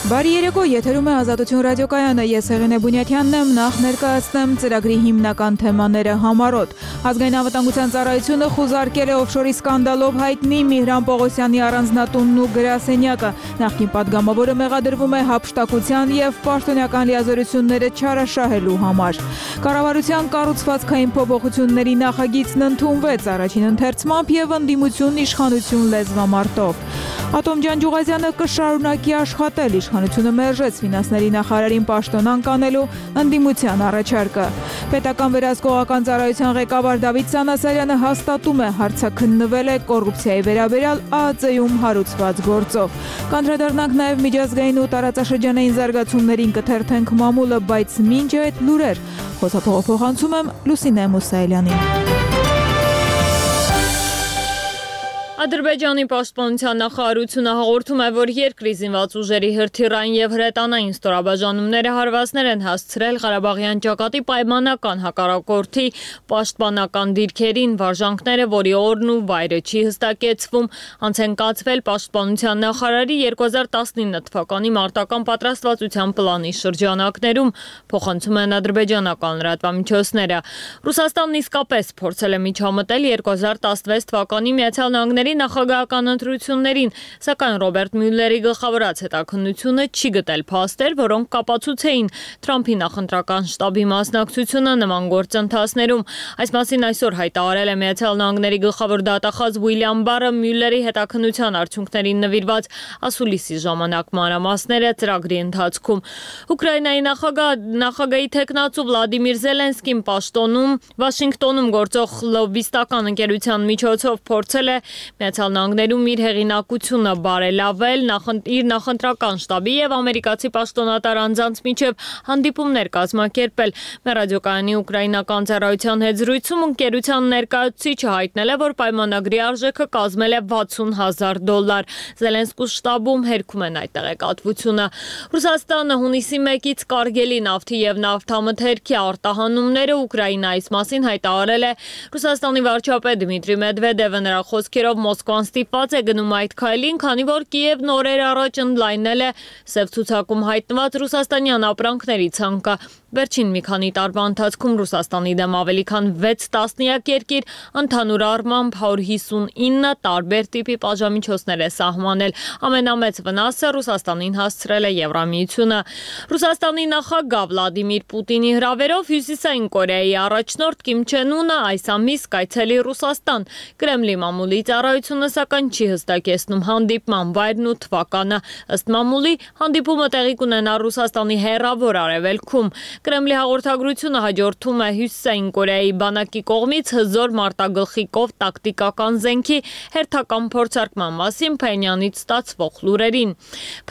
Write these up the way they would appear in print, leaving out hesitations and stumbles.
Բարի երեկո, եթերում է Ազատություն ռադիոկայանը, ես Հեղինե Բունյաթյանն եմ, նախ ներկայացնեմ ծրագրի հիմնական թեմաները համառոտ։ Ազգային անվտանգության ծառայությունը խուզարկել է օֆշորի սկանդալով հայտնի Միհրան Պողոսյանի առանձնատունն ու գրասենյակը։ Նախկին պատգամավորը մեղադրվում է հափշտակության և պաշտոնյական լիազորությունները չարաշահելու համար։ Կառավարության կառուցվածքային փոփոխությունների նախագիծն ընդունվեց առաջին ընթերցմամբ և ընդդիմություն իշխանություն լեզվամարտով։ Ատոմ Ջանջուղազյանը կշարունակի աշխատել, իշխանությունը մերժեց ֆինանսների նախարարին պաշտոնանկ անելու ընդդիմության առաջարկը։ Պետական վերահսկողական ծառայության ղեկավար Դավիթ Սանասարյանը հաստատում է, հարցաքննվել է կոռուպցիայի վերաբերյալ ԱԱԾ-ում հարուցված գործով։ Կանդրադառնանք նաև միջազգային ու տարածաշրջանային զարգացումներին, կթերթենք մամուլը, բայց մինչ այդ լուրեր։ Խոսափողով փոխանցում եմ Լուսինե Մուսայելյանին։ Ադրբեջանի պաշտպանության նախարարությունը հաղորդում է, որ երկրի զինված ուժերի հրթիռային և հրետանային ստորաբաժանումները հարվածներ են հասցրել Ղարաբաղյան ճակատի պայմանական հակառակորդի պաշտպանական դիրքերին, վարժանքները, որի օրն ու վայրը չի հստակեցվում, անց են կացվել պաշտպանության նախարարի 2019 թվականի մարտական պատրաստվածության պլանի շրջանակներում, փոխանցում են ադրբեջանական լրատվամիջոցները։ Ռուսաստանն իսկապես փորձել է միջամտել 2016 թվականի Միացյալ Նահանգների նախագահական ընտրություններին, սակայն Ռոբերտ Մյուլլերի գլխավորած հետաքննությունը չի գտել փաստեր, որոնք կապացուցեին Թրամփի նախընտրական շտաբի մասնակցությունը նման գործընթացներում։ Այս մասին այսօր հայտարարել է Միացյալ Նահանգների գլխավոր դատախազ Ուիլյամ Բարը Մյուլլերի հետաքննության արդյունքներին նվիրված ասուլիսի ժամանակ մանրամասները ծրագրի ընթացքում։ Ուկրաինայի նախագահի թեկնածու Վլադիմիր Զելենսկին պաշտոնում Վաշինգտոնում գործող լոբբիստական ընկերության միջոցով փորձել է Միացյալ Նահանգներում իր հեղինակությունը բարելավել, իր նախընտրական շտաբի և ամերիկացի պաշտոնատար անձանց միջև հանդիպումներ կազմակերպել։ Ռադիոկայանի ուկրաինական ծառայության հետ զրույցում ընկերության ներկայացուցիչը հայտնել է, որ պայմանագրի արժեքը կազմել է $60,000։ Զելենսկու շտաբում հերքում են այդ տեղեկատվությունը։ Ռուսաստանը հունիսի 1-ից կարգելի նավթի և նավթամթերքի արտահանումները Ուկրաինայից մասին հայտարարել է Ռուսաստանի վարչապետ Դմիտրի Մեդվեդևը, նրա խոսքերով Մոսկվան ստիպված է գնում այդ քայլին, քանի որ Կիևն օրեր առաջ ընդլայնել է սև ցուցակում հայտնված ռուսաստանյան ապրանքների ցանկը։ Վերջին մի քանի տարվա ընթացքում Ռուսաստանի դեմ ավելի քան 6 տասնյակ երկիր ընդհանուր առմամբ 159 տարբեր տիպի պատժամիջոցներ է սահմանել։ Ամենամեծ վնասը Ռուսաստանին հասցրել է Եվրամիությունը։ Ռուսաստանի նախագահ Վլադիմիր Պուտինի հրավերով Հյուսիսային Կորեայի առաջնորդ Կիմ Չեն Ունը այս ամիս կայցելի Ռուսաստան։ Կրեմլի մամուլի ծառայությունը սակայն չի հստակեցնում հանդիպման վայրն ու թվականը։ Ըստ մամուլի, հանդիպումը տեղի կունենա Ռուսաստանի հեռավոր արևելքում։ Կրեմլի հաղորդագրությունը հաջորդում է Հյուսիսային Կորեայի բանակի կողմից հզոր մարտագլխիկով տակտիկական զենքի հերթական փորձարկման մասին Փենյանից ստացվող լուրերին։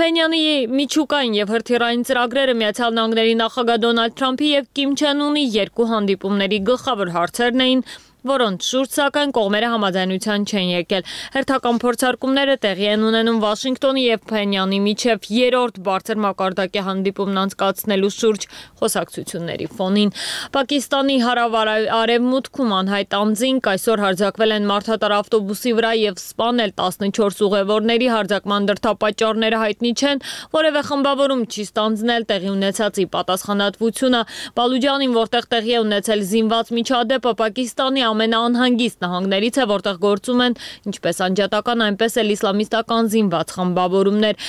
Փենյանի միջուկային և հրթիռային ծրագրերը Միացյալ Նահանգների նախագահ Դոնալդ Թրամփի և Կիմ Չեն Ունի երկու հանդիպումների գլխավոր հարցերն էին, որոնց շուրջ սակայն կողմերը համաձայնության չեն եկել։ Հերթական փորձարկումները տեղի են ունենում Վաշինգտոնի և Փենյանի միջև երրորդ բարձր մակարդակի հանդիպումն անցկացնելու շուրջ խոսակցությունների ֆոնին։ Պակիստանի հարավ-արևմուտքում անհայտ անձինք այսօր հարձակվել են մարդատար ավտոբուսի վրա և սպանել 14 ուղևորների, հարձակման դրդապատճառները հայտնի չեն, որևէ խմբավորում չի ստանձնել տեղի ունեցածի պատասխանատվությունը։ Բալուջանին, որտեղ տեղի է ունեցել զինված միջադեպը, Պակիստանի ամենաանհանգիստ նահանգներից է, որտեղ գործում են ինչպես անջատական, այնպես էլ իսլամիստական զինված խմբավորումներ։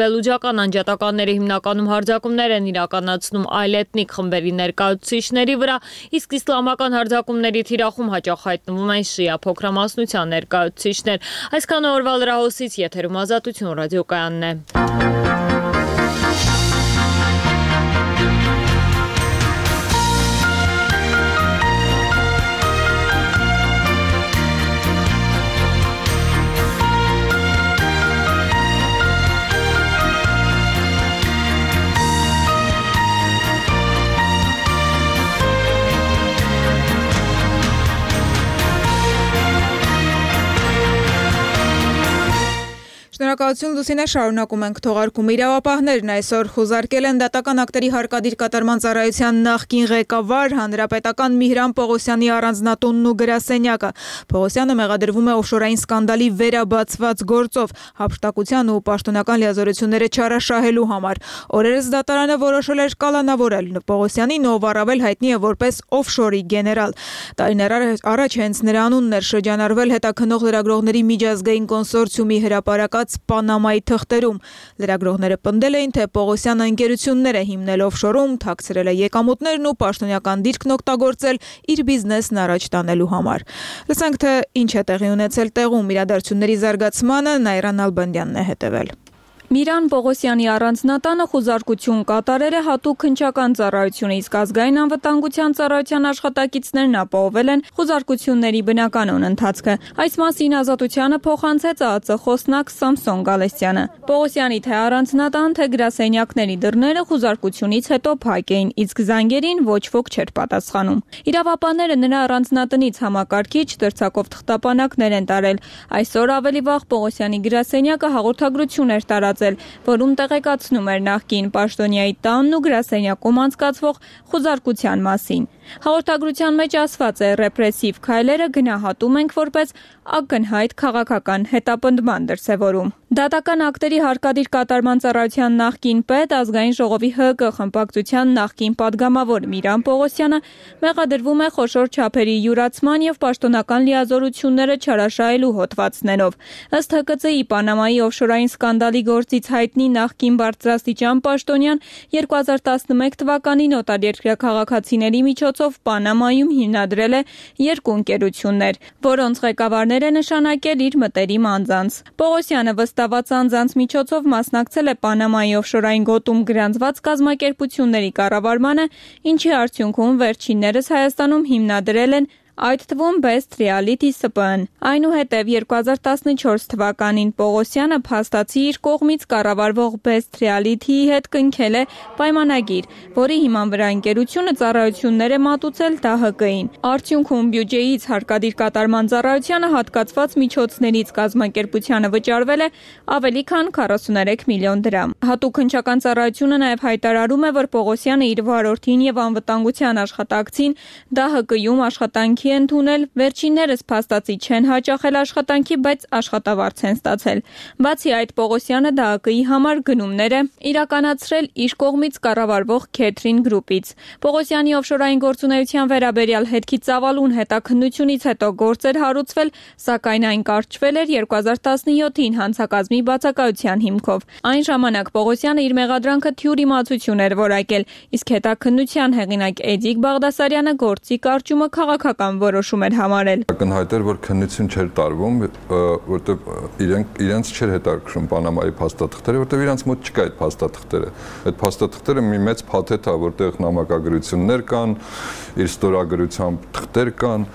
Բելուջական անջատականները հիմնականում հարձակումներ են իրականացնում այլ էթնիկ խմբերի ներկայացուցիչների վրա, իսկ իսլամական հարձակումների թիրախում հաճախ հայտնվում են շիա փոքրամասնության ներկայացուցիչներ։ Այսքանը օրվա լրահոսից, եթերում Ազատություն ռադիոկայանն է։ Շնորհակալություն Լուսինե, շարունակում ենք թողարկումը։ Իրավապահներն այսօր խուզարկել են դատական ակտերի հարկադիր կատարման ծառայության նախկին ղեկավար հանրապետական Միհրան Պողոսյանի առանձնատունն ու գրասենյակը։ Պողոսյանը մեղադրվում է օֆշորային սկանդալի վերաբացված գործով հափշտակության ու պաշտոնական լիազորությունները չարաշահելու համար։ Օրերս դատարանը որոշել էր կալանավորել Պողոսյանին, ով առավել հայտնի է որպես օֆշորի գեներալ։ Տարիներ առաջ հենց նրա անունն էր շրջանառվել հետաքննող լրագրողների միջազգային կոնսորցիումի հրապարակած Պանամայի թղթերում։ Լրագրողները պնդել էին, թե Պողոսյանը ընկերություններ է հիմնել օֆշորում, թաքցրել է եկամուտներն ու պաշտոնական դիրքն օգտագործել իր բիզնեսն առաջ տանելու համար։ Լսենք, թե ինչ է տեղի ունեցել տեղում։ Իրադարձությունների զարգացմանը Նայրան Ալբանդյանն է հետևել։ Միհրան Պողոսյանի առանձնատանը խուզարկություն կատարել է հատուկ քննչական ծառայությունը, իսկ ազգային անվտանգության ծառայության աշխատակիցներն ապահովել են խուզարկությունների բնականոն ընթացքը։ Այս մասին Ազատությանը փոխանցեց ԱԱԾ խոսնակ Սամսոն Գալստյանը։ Պողոսյանի թե առանձնատան, թե գրասենյակների դռները խուզարկությունից հետո փակ էին, իսկ զանգերին ոչ ոք չէր պատասխանում։ Իրավապահները նրա առանձնատնից համակարգիչ դրձակով թղթապանակներ են տարել։ Այսօր ավելի վաղ Պողոսյանի գրասենյակը հաղորդագրություն էր տարած, որում տեղեկացնում էր նախկին պաշտոնյայի տանն ու գրասենյակում անցկացվող խուզարկության մասին։ Հաղորդագրության մեջ ասված է՝ ռեպրեսիվ քայլերը գնահատում ենք որպես ակնհայտ քաղաքական հետապնդման դրսևորում։ Դատական ակտերի հարկադիր կատարման ծառայության նախկին պետ, ազգային ժողովի ՀԿ խմբակցության նախկին падգամավոր Միհրան Պողոսյանը մեղադրվում է խոշոր չափերի յուրացման եւ պաշտոնական լիազորությունները չարաշահելու հոդվածներով։ Ըստ ՀԿՑ-ի Պանամայի օֆշորային սկանդալի գործից հայտնի նախկին բարձրաստիճան պաշտոնյան 2011 թվականին օտարերկրյա քաղաքացիների միջոցով Պանամայում հիմնադրել է երկու ընկերություններ, որոնց ղեկավարներ է նշանակել իր մտերիմ անձանց։ Պողոսյանը վստահված անձանց միջոցով մասնակցել է Պանամայի օֆշորային գոտում գրանցված կազմակերպությունների կառավարմանը, ինչի արդյունքում վերջիններս Հայաստանում հիմնադրել են այդ թվում Best Reality ՍՊԸ-ն։ Այնուհետև 2014 թվականին Պողոսյանը փաստացի իր կողմից կառավարվող Best Reality-ի հետ կնքել է պայմանագիր, որի հիման վրա ընկերությունը ծառայություններ է մատուցել ԴՀԿ-ին։ Արդյունքում բյուջեից հարկադիր կատարման ծառայությանը հատկացված միջոցներից կազմակերպությանը վճարվել է ավելի քան 43 միլիոն դրամ։ Հատուկ քննչական ծառայությունը նաև հայտարարում է, որ Պողոսյանը իր վարորդին եւ անվտանգության աշխատակցին ԴՀԿ-ում աշխատանքի ընդունել, վերջիններս փաստացի չեն հաճախել աշխատանքի, բայց աշխատավարձ են ստացել։ Բացի այդ, Պողոսյանը ԴՀԿ-ի համար գնումներ է իրականացրել իր կողմից կառավարվող Քեթրին գրուպից։ Պողոսյանի օֆշորային գործունեության վերաբերյալ հետքի ծավալուն հետաքննությունից հետո գործեր հարուցվել, սակայն այն կարճվել էր 2017-ին հանցակազմի բացակայության հիմքով։ Այն ժամանակ Պողոսյանը իր մեղադրանքը թյուր իմացություն էր որակել, իսկ հետաքննության հեղինակ Էդիկ Բաղդասարյանը գործի կարճումը քաղաքական որոշում էր համարել։ Ակնհայտ էր, որ քննություն չէր տարվում, որտեղ իրենց չէր հետաքրքրում Պանամայի փաստաթղթերը, որտեղ իրենց մոտ չկա այդ փաստաթղթերը։ Այդ փաստաթղթերը մի մեծ փաթեթ է, որտեղ նամակագրություններ կան, իր ստորագրությամբ թղթեր կան,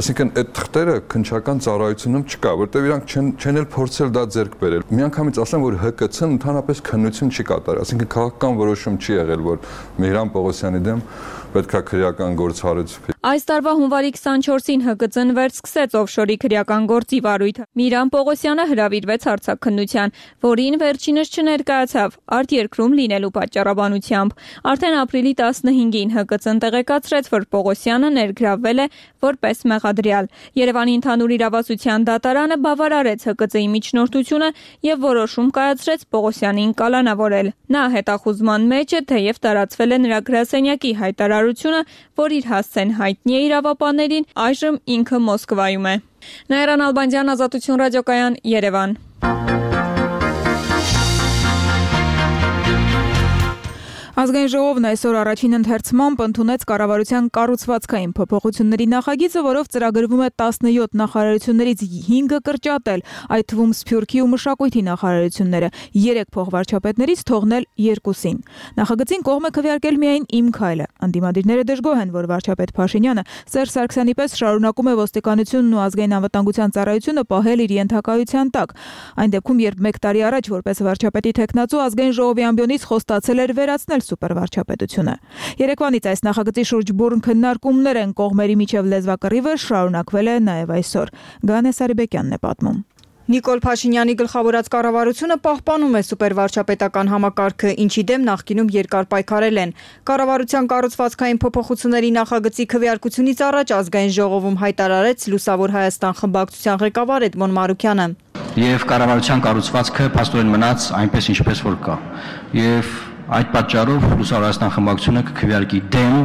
այսինքն այդ թղթերը քննչական ծառայությունում չկա, որտեղ իրանք չեն էլ փորձել դա ձեռք բերել։ Միանգամից ասեմ, որ ՀԿՑ-ն ընդհանրապես քննություն չի կատարել, այսինքն քաղաքական որոշում չի եղել, որ Միհրան Պողոսյանի դեմ պետք է քրեական գործ հարուցվի։ Այս տարվա հունվարի 24-ին ՀԿՑ-ն վերսկսեց օֆշորի քրեական գործի վարույթը։ Միհրան Պողոսյանը հրավիրվեց արձակքննության, որին վերջինս չներկայացավ արտերկրում լինելու պատճառաբանությամբ։ Արդեն ապրիլի 15-ին ՀԿՑ-ն տեղեկացրեց, որ Պողոսյանը ներգրավվել է որպես մեղադրյալ։ Երևանի ընդհանուր իրավասության դատարանը բավարարեց ՀԿՑ-ի միջնորդությունը եւ որոշում կայացրեց Պողոսյանին կալանավորել։ Նա հետախուզման մեջ է, թեև տարածվել է նրա գրասենյակի հայտարարությունը, որ իր հասցեն հայտնի է իրավապահներին, այժմ ինքը Մոսկվայում է։ Նայրան Ալբանդյան, Ազատություն ռադիոկայան, Երևան։ Ազգային ժողովն այսօր առաջին ընթերցմամբ ընդունեց կառավարության կառուցվածքային փոփոխությունների նախագիծը, որով ծրագրվում է 17 նախարարություններից 5-ը կրճատել, այդ թվում Սփյուռքի ու Մշակույթի նախարարությունները, 3 փոխվարչապետներից թողնել 2-ին։ Նախագծին կողմ է քվեարկել միայն Իմ քայլը։ Անդիմադիրները դժգոհ են, որ վարչապետ Փաշինյանը Սերժ Սարգսյանի պես շարունակում է ոստիկանությունն ու ազգային անվտանգության ծառայությունը պահել իր ենթակայության տակ։ Այն դեպքում, երբ 1 տարի առաջ որպես վարչապետի թեկնածու ազգային ժողովի ամբիոնից խոստացել էր վերացնել սուպերվարչապետությունը։ Երեկվանից այս նախագծի շուրջ բուռն քննարկումներ են կողմերի միջև լեզվակռիվը շարունակվել է նաև այսօր։ Գանե Սարիբեկյանն է պատմում։ Նիկոլ Փաշինյանի գլխավորած կառավարությունը պահպանում է սուպերվարչապետական համակարգը, ինչի դեմ նախկինում երկար պայքարել են։ Կառավարության կառուցվածքային փոփոխությունների նախագծի քվեարկությունից առաջ ազգային ժողովում հայտարարեց Լուսավոր Հայաստան խմբակցության ղեկավար Էդմոն Մարուքյանը։ Եվ կառավարության կառուցվածքը փաստորեն մնաց այնպես ինչպես որ կա։ Եվ այդ պատճառով Լուսավոր Հայաստան խմբակցությունը կքվեարկի դեմ,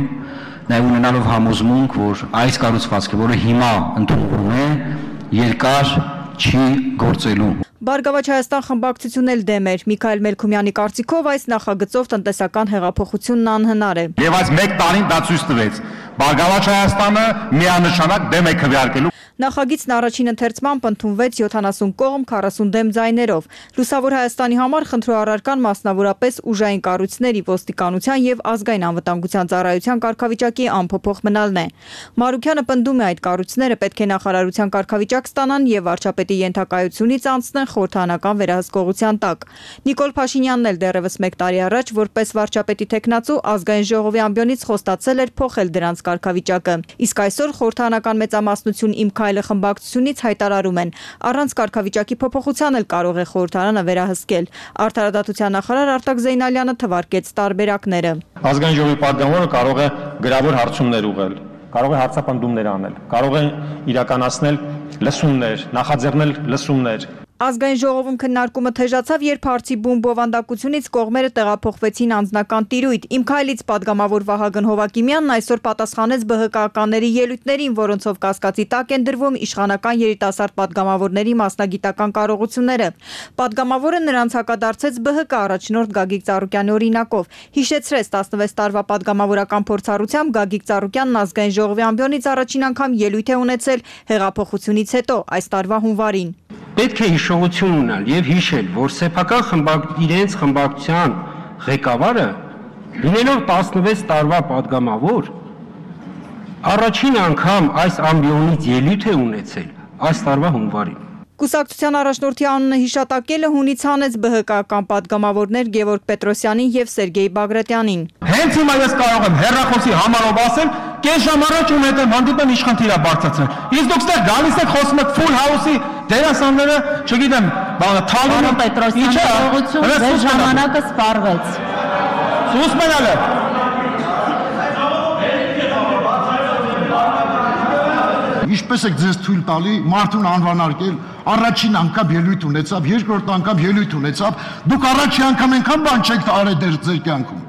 նաև ունենալով համոզմունք, որ այս կառուցվածքը, որը հիմա ընդունվում է, երկար չի գործելու։ Բարգավաճ Հայաստան խմբակցությունն էլ դեմ էր։ Միքայել Մելքումյանի կարծիքով այս նախագծով տնտեսական հեղափոխությունն անհնար է։ Եվ այս մեկ տարին դա ցույց տվեց։ Բարգավաճ Հայաստանը միանշանակ դեմ է քվեարկելու։ Նախագիծն առաջին ընթերցմամբ ընդունվեց 70 կողմ 40 դեմ ձայներով։ Լուսավոր Հայաստանի համար խնդրոառարկան մասնավորապես ուժային կառույցների, ոստիկանության եւ ազգային անվտանգության ծառայության կարգավիճակի անփոփոխ մնալն է։ Մարուքյանը պնդում է, այդ կառույցները պետք է նախարարության կարգավիճակ ստանան եւ վարչապետի ենթակայությունից անցնեն խորհրդանական վերահսկողության տակ։ Նիկոլ Փաշինյանն էլ դեռևս 1 տարի առաջ որպես վարչապետի տեխնացու ազգային ժողովի ամբիոնից խոստացել էր փոխել դրանց կարգավիճակը։ Իսկ այսօր խորհրդանական մեծամասնություն Իմ Քայլը խմբակցությունից հայտարարում են, առանց կարգավիճակի փոփոխության էլ կարող է խորհրդարանը վերահսկել։ Արդարադատության նախարար Արտակ Զեյնալյանը թվարկեց տարբերակները։ Ազգային ժողովի պատգամավորը կարող է գրավոր հարցումներ ուղղել, կարող է հարցապնդումներ անել, կարող է իրականացնել լսումներ, նախաձեռնել լսումներ։ Ազգային ժողովում քննարկումը թեժացավ, երբ հարցի բուն բովանդակությունից կողմերը տեղափոխվեցին անձնական տիրույթ։ Իմ Քայլից պատգամավոր Վահագն Հովակիմյանն այսօր պատասխանեց ԲՀԿ-ականների ելույթներին, որոնցով կասկածի տակ են դրվում իշխանական երիտասարդ պատգամավորների մասնագիտական կարողությունները։ Պատգամավորը նրանց հակադարձեց ԲՀԿ առաջնորդ Գագիկ Ծառուկյանի օրինակով։ Հիշեցրեց 16 տարվա պատգամավորական փորձառությամբ Գագիկ Ծառուկյանն ազգային ժողովի ամբիոնից առաջին անգամ ելույթ է ունեցել հեղափոխությունից հետո այս տարվա հունվարին։ Պետք է հիշողություն ունենալ եւ հիշել, որ սեփական իրենց խմբակցության ղեկավարը լինելով 16 տարվա պատգամավոր առաջին անգամ այս ամբիոնից ելույթ է ունեցել այս տարվա հունվարին։ Կուսակցության առաջնորդի անունը հիշատակելը հունից հանեց ԲՀԿ-ական պատգամավորներ Գևորգ Պետրոսյանին եւ Սերգեյ Բագրատյանին։ Հենց հիմա ես կարող եմ հեռախոսի համարով ասել, կես ժամ առաջ ու հետո հանդիպեմ իշխան թիրա բարձրացնել։ Իսկ դուք ստեղ գալիս եք խոսում եք Full House-ի դերասանները, չգիտեմ, Թալինը Պետրոսյանի կարողություն ձեր ժամանակը սպառվեց։ Սուս մնալը։ Ինչպես եք ձեզ թույլ տալի մարդուն անվանարկել, առաջին անգամ ելույթ ունեցավ, երկրորդ անգամ ելույթ ունեցավ, դուք առաջին անգամ այնքան բան չեք արել ձեր կյանքում։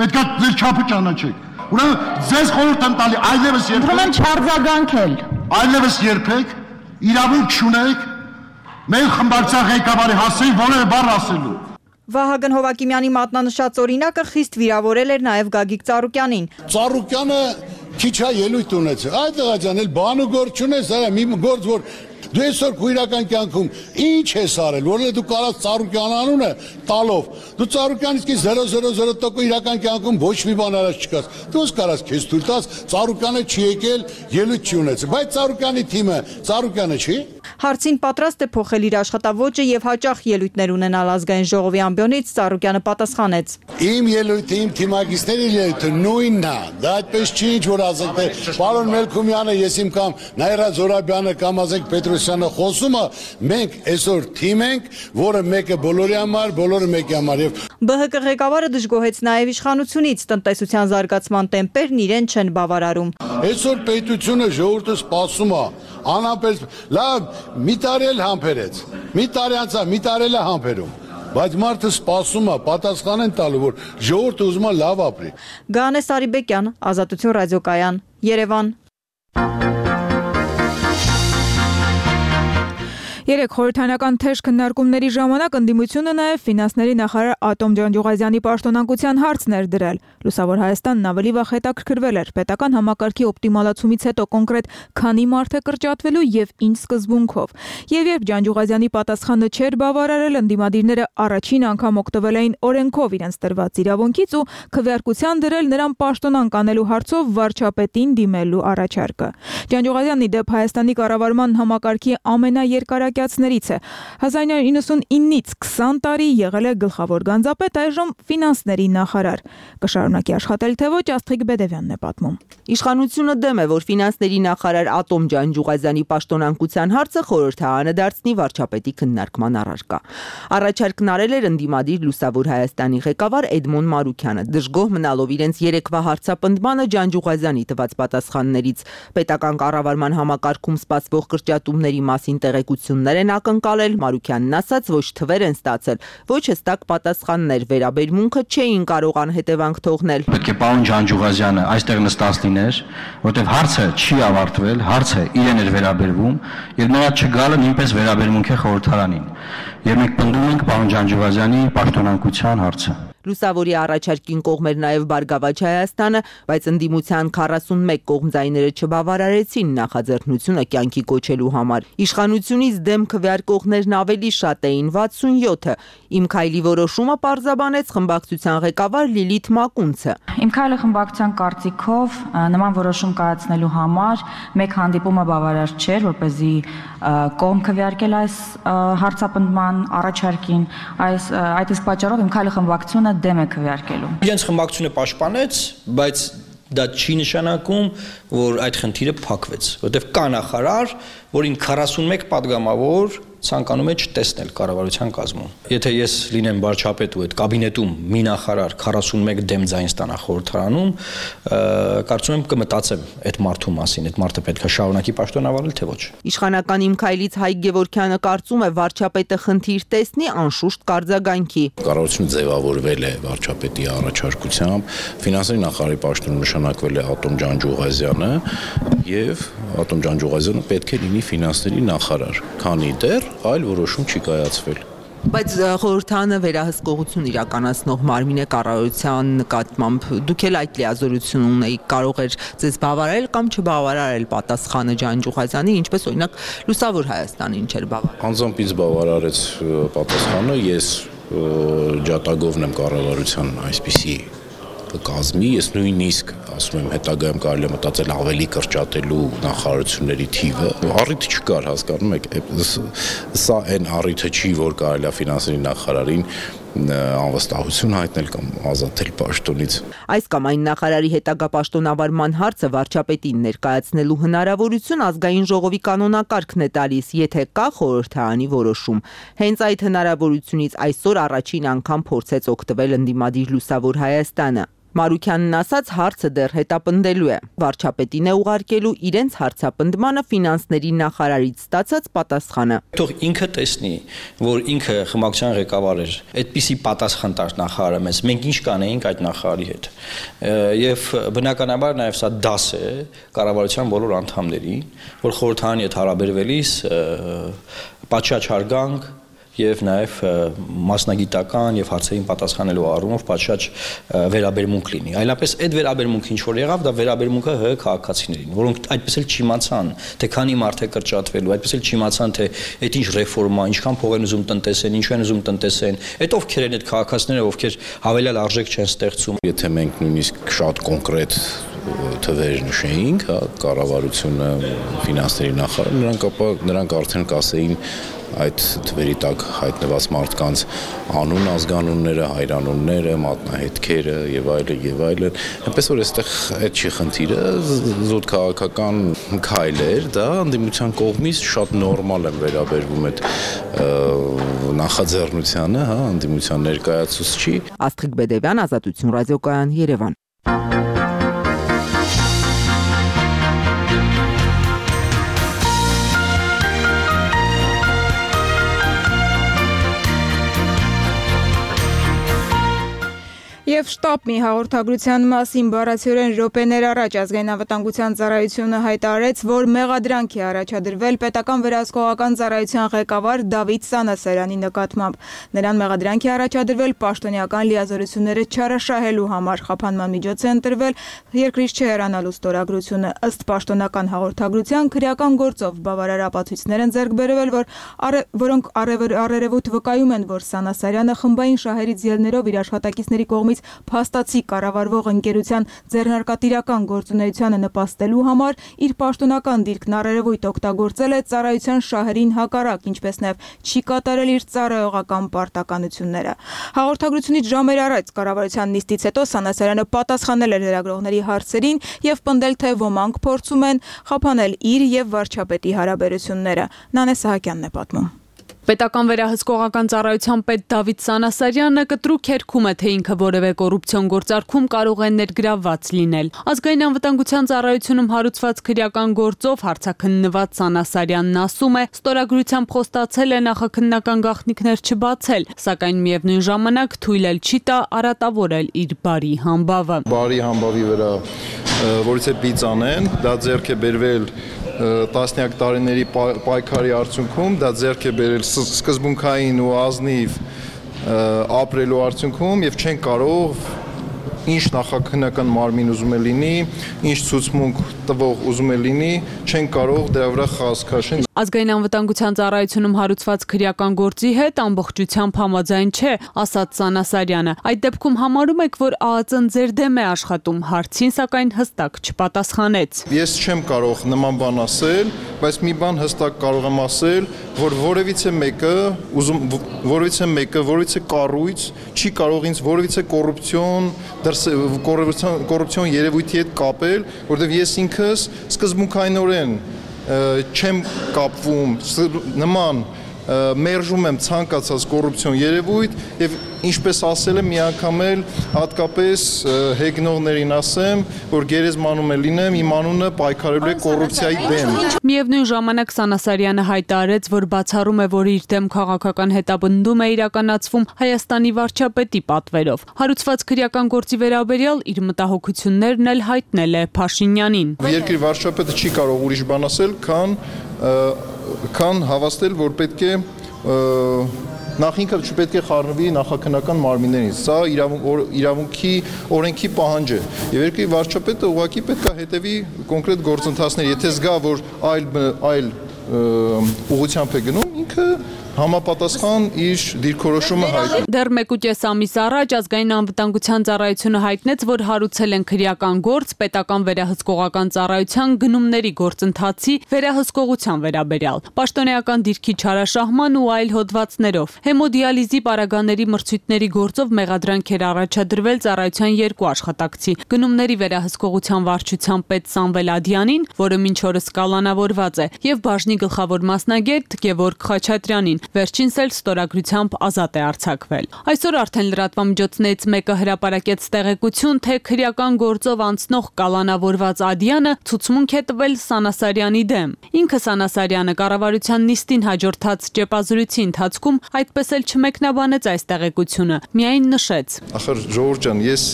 Պետք է ձեր չափը ճանաչեք։ Ուրեմն ձեզ խորհուրդ եմ տալի այլևս երբեք չարձագանքել։ Այլևս երբեք իրավունք չունեք մեր խմբակցության ղեկավարի հասցեին որևէ բառ ասելու։ Վահագն Հովակիմյանի մատնանշած օրինակը խիստ վիրավորել էր նաև Գագիկ Ծառուկյանին։ Ծառուկյանը քիչ է ելույթ ունեցել։ Այդ աղջան էլ բան ու գործ չունես, այ մի գործ որ դու այսօր քո իրական կյանքում ինչ ես արել, որովհետեւ դու կարաս Ծառուկյան անունը տալով, դու Ծառուկյանից կի 0.00% իրական կյանքում ոչ մի բան արած չկաս։ Դու ո՞ս կարաս քեզ թույլ տաս Ծառուկյանը չի եկել, ելույթ չի ունեցել, բայց Ծառուկյանի թիմը Ծառուկյանը չի։ Հարցին պատրաստ է փոխել իր աշխատավոճը եւ հաճախ ելույթներ ունենալ ազգային ժողովի ամբիոնից, Ծառուկյանը պատասխանեց։ Իմ ելույթը, իմ թիմակիցների ելույթը նույնն է։ Դա այդպես չի, ինչ որ ասեք, թե պարոն Մելքումյանը, ես իմ կամ Նայրա Զորաբյանը կամ ասեք Պետրոսյանը խոսումը, մենք այսօր թիմ ենք, որը մեկը բոլորի համար, բոլորը մեկի համար եւ ԲՀԿ ղեկավարը դժգոհեց նաեւ իշխանությունից, տնտեսության զարգացման տեմպերն իրեն չեն բավարարում։ Այսօր պետությունը ժողովուրդը սպասում է, անհամբեր, լավ, մի տարի էլ համբերեց, մի տարի անցա, մի տարի էլ է համբերում, բայց մարդը սպասում է, պատասխան են տալու, որ ժողովուրդը ուզում է լավ ապրի։ Գանե Սարիբեկյան, Ազատություն ռադիոկայան, Երևան։ Երեք խորհրդանական թեժ քննարկումների ժամանակ ընդդիմությունը նաև ֆինանսների նախարար Ատոմ Ջանջուղազյանի պաշտոնակության հարցն էր դրել։ Լուսավոր Հայաստանն ավելի վաղ հետաքրքրվել էր պետական համակարգի օպտիմալացումից հետո կոնկրետ քանի մարդ է կրճատվելու եւ ինչ սկզբունքով։ Եվ երբ Ջանջուղազյանի պատասխանը չէր բավարարել, ընդդիմադիրները առաջին անգամ օգտվել էին օրենքով իրենց տրված իրավունքից ու քվեարկության դրել նրան պաշտոնանկ անելու հարցով վարչապետին դիմելու առաջարկը։ Ջանջուղազյանն ի դեպ Հայաստանի կառավարման համակարգի ամենաերկարակյա ժամանակյացներից է։ 1999-ից 20 տարի եղել է գլխավոր գանձապետ, այժմ ֆինանսների նախարար։ Կշարունակի աշխատել, թե ոչ, Աստղիկ Բեդևյանն է պատմում։ Իշխանությունը դեմ է, որ ֆինանսների նախարար Ատոմ Ջանջուղազյանի պաշտոնանկության հարցը խորհրդարանը դարձնի վարչապետի քննարկման առարկա։ Առաջարկն արել էր ընդդիմադիր Լուսավոր Հայաստանի ղեկավար Էդմոն Մարուքյանը, դժգոհ մնալով իրենց երեկվա հարցապնդմանը Ջանջուղազյանի տված պատասխաններից։ Պետական կառավարման համակարգում սպասվող կրճատումների մասին տեղեկություններ են ակնկալել, Մարուքյանն ասաց, ոչ թվեր են ստացել, ոչ հստակ պատասխաններ, վերաբերմունքը չէին կարող անհետևանք թողնել։ Պետք է պարոն Ջանջուղազյանը այստեղ նստած լիներ, որտեղ հարցը չի ավարտվել, հարցը իրեն էր վերաբերվում, եւ նրա չգալը նույնպես վերաբերմունք է խորհրդարանին։ Եվ մենք պնդում ենք պարոն Ջանջուղազյանի պաշտոնանկության հարցը։ Լուսավորի առաջարկին կողմ էր նաև Բարգավաճ Հայաստանը, բայց ընդդիմության 41 կողմձայները չբավարարեցին նախաձեռնությունը կյանքի կոչելու համար։ Իշխանությունից դեմ քվեարկողներն ավելի շատ էին, 67-ը։ Իմ քայլի որոշումը պարզաբանեց խմբակցության ղեկավար Լիլիթ Մակունցը։ Իմ քայլը խմբակցության կարծիքով նման որոշում կայացնելու համար մեկ հանդիպումը բավարար չէր, որպեսզի կողմ քվեարկել այս հարցապնդման առաջարկին, այդ իսկ պատճառով իմ քայլը խմբակցությունը դեմ է քվեարկելու։ Իրենց խմբակցությունը պաշտպանեց, բայց դա չի նշանակում, որ այդ խնդիրը փակվեց, որտեղ կա նախարար, որին 41 падգամավոր ցանկանում է չտեսնել կառավարության կազմում։ Եթե ես լինեմ վարչապետ ու այդ կաբինետում մի նախարար 41 դեմ ձայն ստանա խորհրդարանում, կարծում եմ կմտածեմ այդ մարդու մասին, այդ մարդը պետք է շարունակի պաշտոնավարել, թե ոչ։ Իշխանական Իմ քայլից Հայկ Գևորգյանը կարծում է վարչապետը խնդիր տեսնի անշուշտ կարձագանքի։ Կառավարությունը ձևավորվել է վարչապետի առաջարկությամբ, ֆինանսների նախարարի պաշտոնում նշանակվել է Ատոմ Ջանջուղազյանը եւ Ատոմ Ջանջուղազյանը պետք է լինի ֆինանսների նախարար, քանի դեռ այլ որոշում չի կայացվել։ Բայց խորհրդարանը վերահսկողություն իրականացնող մարմին է կառավարության նկատմամբ, դուք էլ այդ լիազորություն ունեիք, կարող էր ձեզ բավարարել կամ չբավարարել պատասխանը Ջանջուղազյանի, ինչպես օրինակ Լուսավոր Հայաստանին չէր բավարարել։ Անձամբ ինձ բավարարեց պատասխանը, ես ջատագովն եմ կառավարության այսպիսի կազմի, ես նույնիսկ ասում եմ հետագայում կարելի է մտածել ավելի կրճատելու նախարարությունների թիվը, առիթ չկար, հասկանում եք, սա այն առիթը չի, որ կարելի է ֆինանսների նախարարին անվստահություն հայտնել կամ ազատել պաշտոնից։ Այս կամ այն նախարարի հետագա պաշտոնավարման հարցը վարչապետին ներկայացնելու հնարավորություն ազգային ժողովի կանոնակարգն է տալիս, եթե կա խորհրդարանի որոշում։ Հենց այդ հնարավորությունից այսօր առաջին անգամ փորձեց օգտվել ընդդիմադիր Լուսավոր Հայաստանը։ Մարուքյանն ասաց, հարցը դեռ հետապնդելու է։ Վարչապետին է ուղարկելու իրենց հարցապնդմանը ֆինանսների նախարարից ստացած պատասխանը։ Թող ինքը տեսնի, որ ինքը խմբակցության ղեկավար էր, այդպիսի պատասխան տար նախարարը մեզ, մենք ինչ կանեինք այդ նախարարի հետ։ Եվ բնականաբար նաև սա դաս է կառավարության բոլոր անդամներին, որ խորհրդարանի հետ հարաբերվելիս պատշաճ հարգանք եւ նաեւ մասնագիտական եւ հարցերին պատասխանելու առումով պատշաճ վերաբերմունք լինի։ Այլապես այդ վերաբերմունքը ինչ որ եղավ, դա վերաբերմունքը ՀՀ քաղաքացիներին, որոնք այդպես էլ չիմացան, թե քանի մարդ է կրճատվելու, այդպես էլ չիմացան, թե այդ ինչ ռեֆորմա, ինչքան փող են ուզում տնտեսեն, ինչու են ուզում տնտեսեն, այդ ովքեր են այդ քաղաքացիները, ովքեր հավելյալ արժեք չեն ստեղծում։ Եթե մենք նույնիսկ շատ կոնկրետ թվեր նշեինք, հա, կառավարությունը, ֆինանսների նախարարը, նրանք արդեն կասեին այդ թվերի տակ հայտնված մարդկանց անուն, ազգանունները, հայրանունները, մատնահետքերը եւ այլն եւ այլն։ Այնպես որ այստեղ այդ չի խնդիրը, զուտ քաղաքական քայլեր, դա ընդդիմության կողմից շատ նորմալ են վերաբերվում այդ նախաձեռնությանը, հա, ընդդիմության ներկայացուցչի։ Աստղիկ Բեդևյան, Ազատություն ռադիոկայան, Երևան։ Եվ շտապ մի հաղորդագրության մասին բառացիորեն րոպեներ առաջ ազգային անվտանգության ծառայությունը հայտարարեց, որ մեղադրանք է առաջադրվել պետական վերահսկողական ծառայության ղեկավար Դավիթ Սանասարյանի նկատմամբ։ Նրան մեղադրանք է առաջադրվել պաշտոնյական լիազորությունները չարաշահելու համար, խափանման միջոց է ընտրվել երկրից չհեռանալու ստորագրությունը։ Ըստ պաշտոնական հաղորդագրության քրեական գործով բավարար ապացույցներ են ձեռք բերվել, որոնք առերևույթ վկայում են, որ Սանասարյանը խմբային շահերից ելներով իր աշխատակիցների կողմից փաստացի կառավարվող ընկերության ձեռնարկատիրական գործունեությանը նպաստելու համար իր պաշտոնական դիրքն առերևույթ օգտագործել է ծառայության շահերին հակառակ, ինչպես նաև չի կատարել իր ծառայողական պարտականությունները։ Հաղորդագրությունից ժամեր առաջ կառավարության նիստից հետո Սանասարյանը պատասխանել էր լրագրողների հարցերին եւ պնդել, թե ոմանք փորձում են խափանել իր եւ վարչապետի հարաբերությունները։ Նանե Սահակյանն է պատմում։ Պետական վերահսկողական ծառայության պետ Դավիթ Սանասարյանը կտրուկ երգում է, թե ինքը որևէ կոռուպցիոն գործարքում կարող է ներգրավված լինել։ Ազգային անվտանգության ծառայությունում հարուցված քրեական գործով հարցաքննված Սանասարյանն ասում է, ստորագրությամբ խոստացել է նախաքննական գաղտնիքներ չբացել, սակայն միևնույն ժամանակ թույլ էլ չի տա արատավորել իր բարի համբավը։ Բարի համբավի վրա որից է պիծ անեն, դա ձեռք է բերվել տասնյակ տարիների պայքարի արդյունքում, դա ձեռք է բերել սկզբունքային ու ազնիվ ապրելու արդյունքում եւ չեն կարող ինչ նախաքննական մարմին ուզում է լինի, ինչ ցուցմունք տվող ուզում է լինի, չեն կարող դրա վրա խազ քաշեն։ Ազգային անվտանգության ծառայությունում հարուցված քրեական գործի հետ ամբողջությամբ համաձայն չէ, ասաց Սանասարյանը։ Այդ դեպքում համարում եք, որ ԱԱԾ-ն ձեր դեմ է աշխատում, հարցին սակայն հստակ չպատասխանեց։ Ես չեմ կարող նման բան ասել, բայց մի բան հստակ կարող եմ ասել, որ որևիցե մեկը, որևիցե կառույց չի կարող ինձ որևիցե կոռուպցիոն երևույթի հետ կապել, որովհետև ես ինքս սկզբունքայինորեն չեմ կապվում նման մերժում եմ ցանկացած կոռուպցիոն երևույթ եւ ինչպես ասել եմ մի անգամ էլ հատկապես հեգնողներին ասեմ, որ գերեզմանում է լինեմ, իմ անունը պայքարելու է կոռուպցիայի դեմ։ Միևնույն ժամանակ Սանասարյանը հայտարարեց, որ բացառում է, որ իր դեմ քաղաքական հետապնդում է իրականացվում Հայաստանի վարչապետի պատվերով։ Հարուցված քրեական գործի վերաբերյալ իր մտահոգություններն էլ հայտնել է Փաշինյանին։ Երկրի վարչապետը չի կարող ուրիշ բան ասել, քան հավաստել, որ պետք է նախ ինքը չպետք է խառնվի նախաքննական մարմիններից։ Սա իրավունքի օրենքի պահանջ է։ Եվ երկրի վարչապետը ուղղակի պետք է հետևի կոնկրետ գործընթացների։ Եթե զգա, որ այլ ուղղությամբ է գնում, ինքը համապատասխան իր դիրքորոշումը հայտնի։ Դեռ 1.5 ամիս առաջ ազգային անվտանգության ծառայությունը հայտնեց, որ հարուցել են քրեական գործ պետական վերահսկողական ծառայության գնումների գործընթացի վերահսկողության վերաբերյալ, պաշտոնեական դիրքի չարաշահման ու այլ հոդվածներով։ Հեմոդիալիզի պարագաների մրցույթների գործով մեղադրանք էր առաջադրվել ծառայության 2 աշխատակցի՝ գնումների վերահսկողության վարչության պետ Սամվել Ադյանին, որը մինչ օրս կալանավորված է, եւ բաժնի գլխավոր մասնագետ Գևորգ Խաչատրյանին։ Վերջինս էլ ստորագրությամբ ազատ է արձակվել։ Այսօր արդեն լրատվամիջոցներից մեկը հրապարակեց տեղեկություն, թե քրեական գործով անցնող կալանավորված Ադյանը ցուցմունք է տվել Սանասարյանի դեմ։ Ինքը Սանասարյանը կառավարության նիստին հաջորդած ճեպազրույցի ընթացքում այդպես էլ չմեկնաբանեց այս տեղեկությունը, միայն նշեց. Ախր Ժողովուրդ ջան, ես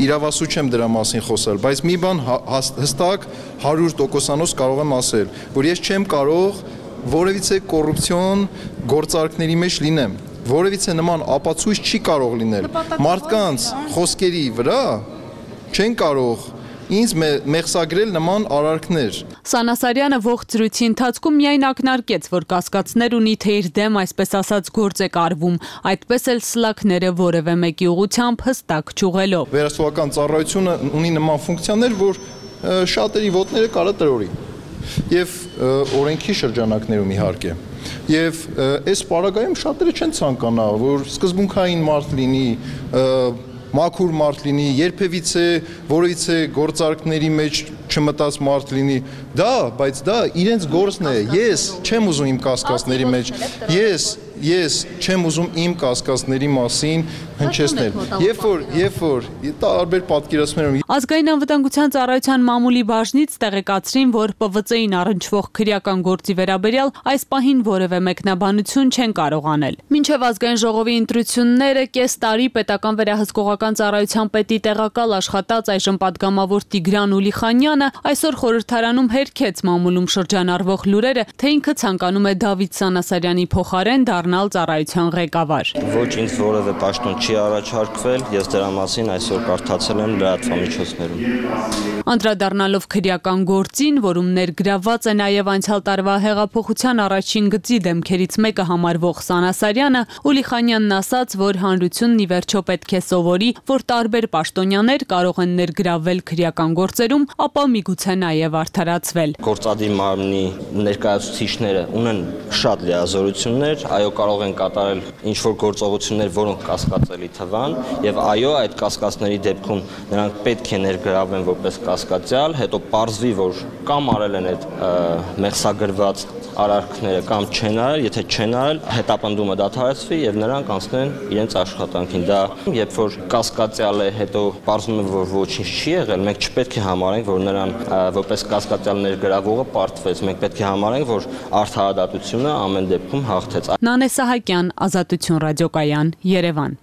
իրավասու չեմ դրա մասին խոսել, բայց մի բան հստակ 100% կարող եմ ասել, որ ես չեմ կարող որևիցե կոռուպցիոն գործարքների մեջ լինեմ, որևիցե նման ապացույց չի կարող լինել։ Մարդկանց խոսքերի վրա չեն կարող ինձ մեղսագրել նման արարքներ։ Սանասարյանը ողջ զրույցի ընթացքում միայն ակնարկեց, որ կասկածներ ունի, թե իր դեմ այսպես ասած գործ է կարվում, այդպես էլ սլաքները որևէ մեկի ուղղությամբ հստակ չուղղելով։ Վերահսկողական ծառայությունը ունի նման ֆունկցիաներ, որ շատերի ոտները կարա տրորի։ Եվ օրենքի շրջանակներում իհարկե։ Եվ այս պարագայում շատերը չեն ցանկանա, որ սկզբունքային մարդ լինի, մաքուր մարդ լինի, երբևիցե որևիցե գործարքների մեջ չմտած մարդ լինի։ Բայց դա իրենց գործն է։ Ես չեմ ուզում իմ կասկածների մեջ։ Ես չեմ ուզում իմ կասկածների մասին հնչեցնել։ Երբ որ տարբեր պատկերացումներում Ազգային անվտանգության ծառայության մամուլի բաժնից տեղեկացրին, որ ՊՎԾ-ին առնչվող քրեական գործի վերաբերյալ այս պահին որևէ մեկնաբանություն չեն կարող անել։ Մինչև ազգային ժողովի ընտրությունները կես տարի պետական վերահսկողական ծառայության պետի տեղակալ աշխատած այժմ պատգամավոր Տիգրան Ուլիխանյանը այսօր խորհրդարանում հերքեց մամուլում շրջանառվող լուրերը, թե ինքը ցանկանում է Դավիթ Սանասարյանի փոխարեն դառնալ դառնալ ծառայության ղեկավար։ Ոչ ինձ որևէ պաշտոն չի առաջարկվել, ես դրա մասին այսօր կարդացել եմ լրատվամիջոցներում։ Անդրադառնալով քրեական գործին, որում ներգրավված է նաև անցյալ տարվա հեղափոխության առաջին գծի դեմքերից մեկը համարվող Սանասարյանը, Ուլիխանյանն ասաց, որ հանրությունն ի վերջո պետք է սովորի, որ տարբեր պաշտոնյաներ կարող են ներգրավվել քրեական գործերում, ապա միգուցե նաև արդարացվել։ Գործադիր մարմնի ներկայացուցիչները ունեն շատ լիազորություններ, այո, կարող են կատարել ինչ-որ գործողություններ, որոնք կասկածելի թվան, եւ այո, այդ կասկածների դեպքում նրանք պետք է ներգրավվեն որպես կասկածյալ, հետո պարզվի, որ կամ արել են այդ մեղսագրված արարքները կամ չեն արել, եթե չեն արել, հետապնդումը դադարեցվի եւ նրանք անցնեն իրենց աշխատանքին։ Դա երբ որ կասկածյալ է, հետո պարզվում է, որ ոչինչ չի եղել, մենք չպետք է համարենք, որ նրան որպես կասկածյալ ներգրավողը պարտվեց։ Մենք պետք է համարենք, որ արդարադատությունը ամեն դեպքում հաղթեց։ Նանե Սահակյան, Ազատություն ռադիոկայան, Երևան։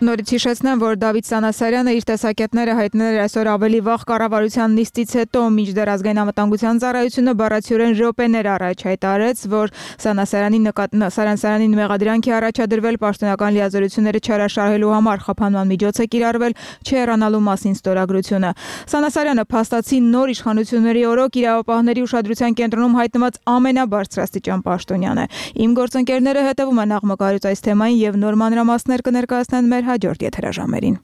Նորից հիշեցնեմ, որ Դավիթ Սանասարյանը իր տեսակետները հայտնել էր այսօր ավելի վաղ կառավարության նիստից հետո, մինչդեռ ազգային անվտանգության ծառայությունը բառացիորեն րոպեներ առաջ հայտարարեց, որ Սանասարանին մեղադրանքի առաջադրվել պաշտոնական լիազորությունները չհրաշահելու համար խափանման միջոց է կիրառվել, չհեռանալու մասին ստորագրությունը։ Սանասարյանը փաստացի նոր իշխանությունների օրոք իրավապահների ուշադրության կենտրոնում հայտնված ամենաբարձրաստիճան պաշտոնյան է։ Իմ գործընկերները հետևում են աղմկարից այս թեմային եւ նոր մանրամասներ կներկայացնեն մեր հաջորդ եթերաժամերին։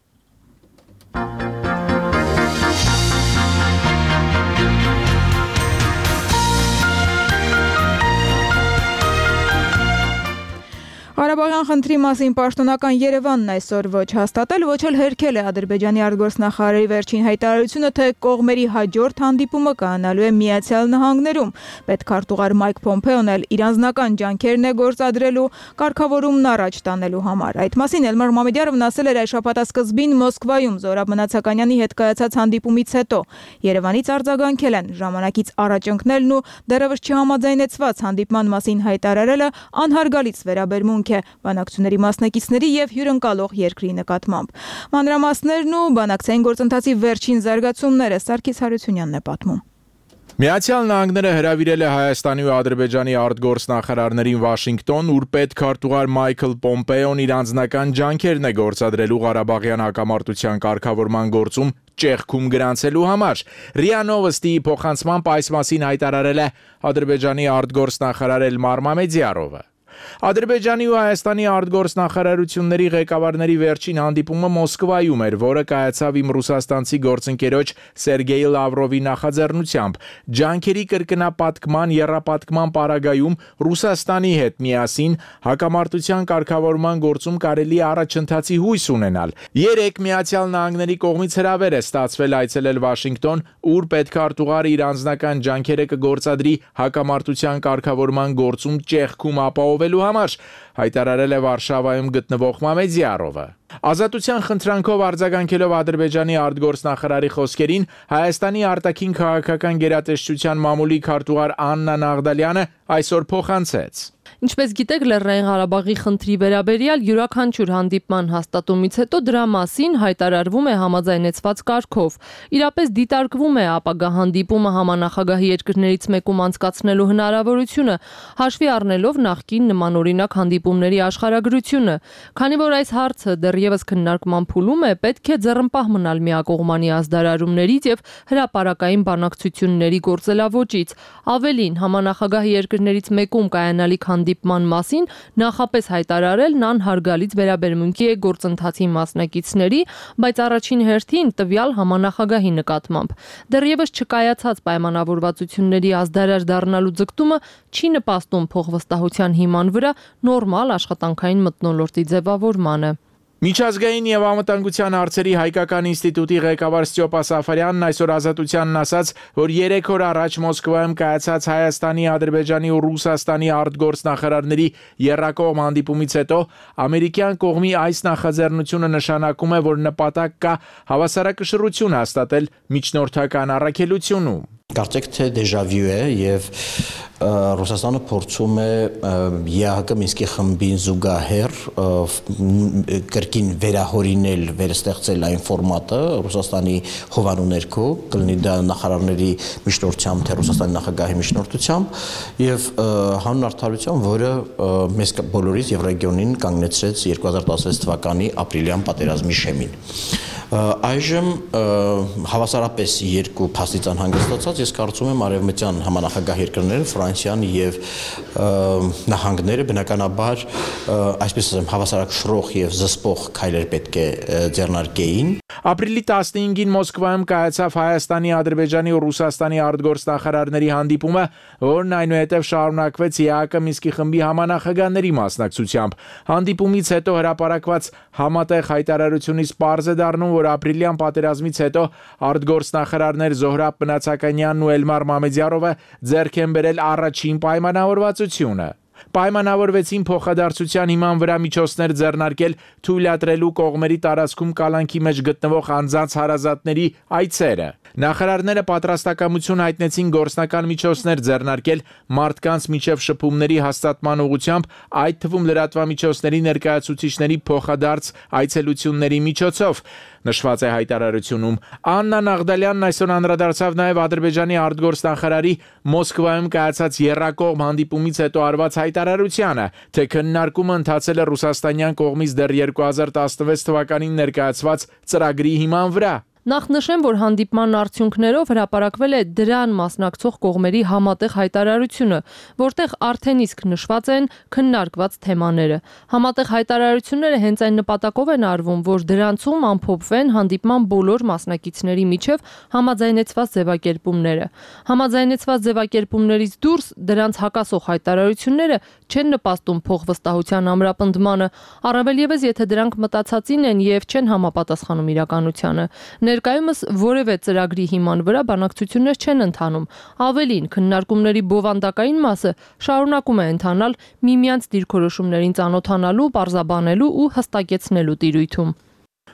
Ղարաբաղյան խնդրի մասին պաշտոնական Երևանն այսօր ոչ հաստատել, ոչ էլ հերքել է Ադրբեջանի արտգործնախարարի վերջին հայտարարությունը, թե կողմերի հաջորդ հանդիպումը կայանալու է Միացյալ Նահանգներում։ Պետքարտուղար Մայք Պոմպեոն էլ իր անձնական ջանքերն է գործադրելու կարգավորումն առաջ տանելու համար։ Այդ մասին Էլմար Մամեդյարովն ասել էր այս շաբաթասկզբին Մոսկվայում Զորաբ Մնացականյանի հետ կայացած հանդիպումից հետո։ Երևանից արձագանքել են ժամանակից առաջ ընկնելն ու դեռևս չհամաձայնեցված հանդիպման մասին հայտարարելը անհարգալից վերաբերմունք է բանակցությունների մասնակիցների եւ հյուրընկալող երկրի նկատմամբ։ Մանրամասներն ու բանակցային գործընթացի վերջին զարգացումները Սարգիս Հարությունյանն է պատմում։ Միացյալ Նահանգները հրավիրել է Հայաստանի ու Ադրբեջանի արտգործնախարարներին Վաշինգտոն, ուր պետքարտուղար Մայքլ Պոմպեոն իր անձնական ջանքերն է գործադրելու Ղարաբաղյան հակամարտության կարգավորման գործում ճեղքում գրանցելու համար։ ՌԻԱ Նովոստիի փոխանցմամբ այս մասին հայտարարել է Ադրբեջանի արտգործնախարար Էլմար Մամեդյարովը։ Ադրբեջանի ու Հայաստանի արտգործնախարարությունների ղեկավարների վերջին հանդիպումը Մոսկվայում էր, որը կայացավ իմ ռուսաստանցի գործընկերոջ Սերգեյ Լավրովի նախաձեռնությամբ։ Ջանքերի կրկնապատկման եռապատկման պարագայում Ռուսաստանի հետ միասին հակամարտության կարգավորման գործում կարելի է առաջընթացի հույս ունենալ։ Երեկ Միացյալ Նահանգների կողմից հրավեր է ստացվել այցելել Վաշինգտոն, ուր պետքարտուղարը իր անձնական ջանքերը կգործադրի հակամարտության կարգավորման գործում ճեղքում ապահովելու համար, հայտարարել է Վարշավայում գտնվող Մամեդյարովը։ Ազատության խնդրանքով արձագանքելով Ադրբեջանի արտգործնախարարի խոսքերին, Հայաստանի արտաքին քաղաքական գերատեսչության մամուլի քարտուղար Աննա Նաղդալյանը այսօր փոխանցեց. Ինչպես գիտեք, Լեռնային Ղարաբաղի խնդրի վերաբերյալ յուրաքանչյուր հանդիպման հաստատումից հետո դրա մասին հայտարարվում է համաձայնեցված կարգով։ Իրապես դիտարկվում է ապագա հանդիպումը համանախագահի երկրներից մեկում անցկացնելու հնարավորությունը, հաշվի առնելով նախկին նմանօրինակ հանդիպումների աշխարհագրությունը։ Քանի որ այս հարցը դեռևս քննարկման փուլում է, պետք է ձեռնպահ մնալ միակողմանի ազդարարումներից եւ հրապարակային բանակցությունների գործելավոճից։ Ավելին, համանախագահի երկրներից մեկում կայանալիք հանդիպման մասին նախապես հայտարարելն անհարգալից վերաբերմունքի է գործընթացի մասնակիցների, բայց առաջին հերթին տվյալ համանախագահի նկատմամբ։ Դեռևս չկայացած պայմանավորվածությունների ազդարար դառնալու ձգտումը չի նպաստում փոխվստահության հիման վրա նորմալ աշխատանքային մթնոլորտի ձևավորմանը։ Միջազգային եւ անվտանգության հարցերի հայկական ինստիտուտի ղեկավար Ստյոպա Սաֆարյանն այսօր Ազատությանն ասաց, որ 3 օր առաջ Մոսկվայում կայացած Հայաստանի, Ադրբեջանի ու Ռուսաստանի արտգործնախարարների եռակողմ հանդիպումից հետո ամերիկյան կողմի այս նախաձեռնությունը նշանակում է, որ նպատակ կա հավասարակշռություն հաստատել միջնորդական առաքելությունում։ կարծեք թե դեժավյու է եւ Ռուսաստանը փորձում է ԵԱՀԿ Մինսկի խմբին զուգահեռ կրկին վերահորինել, վերստեղծել այն ֆորմատը Ռուսաստանի հովանու ներքո, կլինի դա նախարարների միջնորդությամբ, թե Ռուսաստանի նախագահի միջնորդությամբ եւ հանուն արդարության, որը մեզ բոլորիս եւ ռեգիոնին կանգնեցրեց 2016 թվականի ապրիլյան պատերազմի շեմին։ Այժմ հավասարապես երկու փաստիցան հանգստացած ես կարծում եմ արևմտյան համանախագահ երկրները Ֆրանսիան եւ նահանգները բնականաբար այսպես ասեմ հավասարակշռող եւ զսպող քայլեր պետք է ձեռնարկեին։ Ապրիլի 15-ին Մոսկվայում կայացավ Հայաստանի, Ադրբեջանի ու Ռուսաստանի արտգործնախարարների հանդիպումը, որն այնուհետև շարունակվեց ԵԱՀԿ Մինսկի խմբի համանախագահների մասնակցությամբ։ Հանդիպումից հետո հրապարակված համատեղ հայտարարությունից պարզ է դառնում, որ ապրիլյան պատերազմից հետո արտգործնախարարներ Զոհրաբ Մնացականյանն ու Էլմար Մամեդյարովը ձեռք են բերել առաջին պայմանավորվածությունը։ Պայմանավորվեցին փոխադարձության հիման վրա միջոցներ ձեռնարկել թույլատրելու կողմերի տարածքում կալանքի մեջ գտնվող անձանց հարազատների այցերը։ Նախարարները պատրաստակամություն հայտնեցին գործնական միջոցներ ձեռնարկել մարդկանց միջև շփումների հաստատման ուղղությամբ, այդ թվում լրատվամիջոցների ներկայացուցիչների փոխադարձ այցելությունների միջոցով։ Նշված է հայտարարությունում։ Աննա Նաղդալյանն այսօր անդրադարձավ նաև Ադրբեջանի արտգործնախարարի Մոսկվայում կայացած եռակողմ հանդիպումից հետո արված հայտարարությանը, թե քննարկումը ընթացել է ռուսաստանյան կողմից դեռ 2016 թվականին ներկայացված ծրագրի հիման վրա։ Նախ նշեմ, որ հանդիպման արդյունքներով հրապարակվել է դրան մասնակցող կողմերի համատեղ հայտարարությունը, որտեղ արդեն իսկ նշված են քննարկված թեմաները։ Համատեղ հայտարարությունները հենց այն նպատակով են արվում, որ դրանցում ամփոփվեն հանդիպման բոլոր մասնակիցների միջև համաձայնեցված ձևակերպումները։ Համաձայնեցված ձևակերպումներից դուրս դրանց հակասող հայտարարությունները չեն նպաստում փոխվստահության ամրապնդմանը, առավել ևս եթե դրանք մտածածին են եւ չեն համապատասխանում իրականությանը։ Ներկայումս որևէ ծրագրի հիման վրա բանակցություններ չեն ընթանում։ Ավելին, քննարկումների բովանդակային մասը շարունակում է ընթանալ միմյանց դիրքորոշումներին ծանոթանալու, պարզաբանելու ու հստակեցնելու տիրույթում։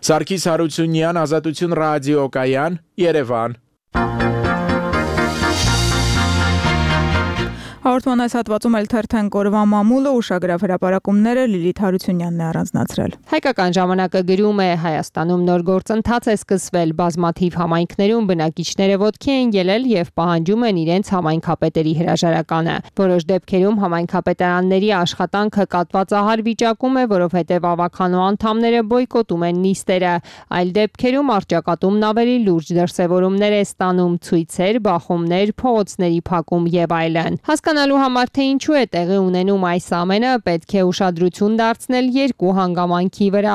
Սարգիս Հարությունյան, Ազատություն ռադիոկայան, Երևան։ Հաղորդման այս հատվածում էլ թերթենք օրվա մամուլը, ուշագրավ հրապարակումները Լիլիթ Հարությունյանն է առանձնացրել։ Հայկական ժամանակը գրում է Հայաստանում նոր գործընթաց է սկսվել, բազմաթիվ համայնքներում բնակիչները ոտքի են ելել եւ պահանջում են իրենց համայնքապետերի հրաժարականը։ Որոշ դեպքերում համայնքապետարանների աշխատանքը կատվածահար վիճակում է, որովհետեւ ավականու անդամները բոյկոտում են նիստերը։ Այլ դեպքերում արճակատումն ավելի լուրջ դրսևորումներ է ստանում՝ ցույցեր, բախումներ, փողոցների փակում եւ այլն։ Հասկանալու համար թե ինչու է տեղի ունենում այս ամենը, պետք է ուշադրություն դարձնել երկու հանգամանքի վրա։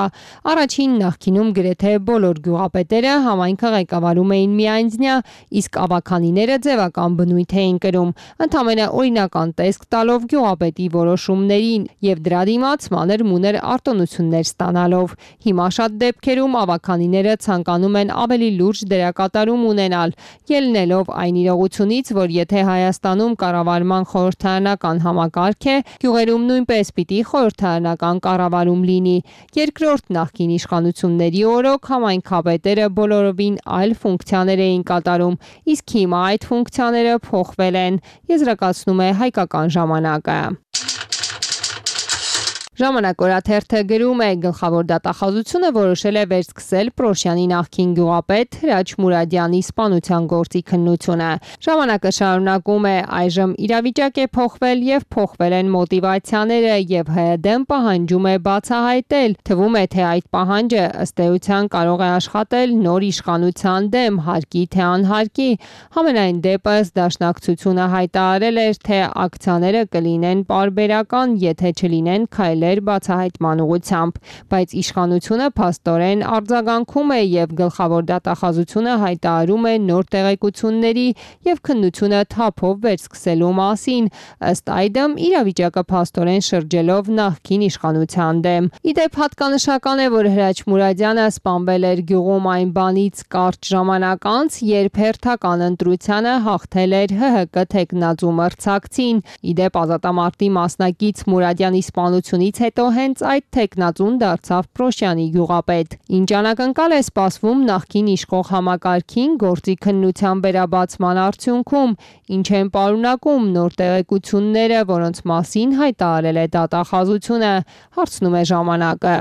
Առաջին նախկինում գրեթե բոլոր գյուղապետերը համայնքը ղեկավարում էին միայնձնյա, իսկ ավականիները ձևական բնույթ էին կրում, ընդամենը օրինական տեսք տալով գյուղապետի որոշումներին եւ դրա դիմաց մանր-մուներ արտոնություններ ստանալով։ Հիմա շատ դեպքերում ավականիները ցանկանում են ավելի լուրջ դերակատարում ունենալ, ելնելով այն իրողությունից, որ եթե Հայաստանում կառավարման խորհրդարանական համակարգ է, գյուղերում նույնպես պիտի խորհրդարանական կառավարում լինի։ Երկրորդ նախկին իշխանությունների օրոք համայնքապետերը բոլորովին այլ ֆունկցիաներ էին կատարում, իսկ հիմա այդ ֆունկցիաները փոխվել են, եզրակացնում է Հայկական ժամանակը։ Ժամանակ օրաթերթը գրում է գլխավոր դատախազությունը որոշել է վերսկսել Պրոշյանի նախկին գյուղապետ Հրաչ Մուրադյանի սպանության գործի քննությունը։ Ժամանակը շարունակում է այժմ իրավիճակ է փոխվել եւ փոխվել են մոտիվացիաները եւ ՀԴ-ն պահանջում է բացահայտել։ Թվում է թե այդ պահանջը ըստ էության կարող է աշխատել նոր իշխանության դեմ, հարկի թե անհարկի։ Համենայն դեպս դաշնակցությունը հայտարարել էր, թե ակցիաները կլինեն պարբերական, եթե չլինեն քայլեր բացահայտման ուղղությամբ, բայց իշխանությունը փաստորեն արձագանքում է եւ գլխավոր դատախազությունը հայտարարում է նոր տեղեկությունների եւ քննությունը թափով վերսկսելու մասին, ըստ այդմ իրավիճակը փաստորեն շրջելով նախկին իշխանության դեմ։ Իդեպ հատկանշական է, որ Հրաչ Մուրադյանը սպանվել էր գյուղում այն բանից կարճ ժամանակ անց, երբ հերթական ընտրությանը հաղթել էր ՀՀԿ թեկնածու մրցակցին։ Իդեպ ազատամարտի մասնակից Մուրադյանի սպանությունից հետո հենց այդ տեխնացուն դարձավ Պրոշյանի գյուղապետ։ Ինչ անակնկալ է սպասվում նախկին իշխող համակարգին գործի քննության վերաբացման արդյունքում, ինչ են պարունակում նոր տեղեկությունները, որոնց մասին հայտարարել է դատախազությունը, հարցնում է ժամանակը։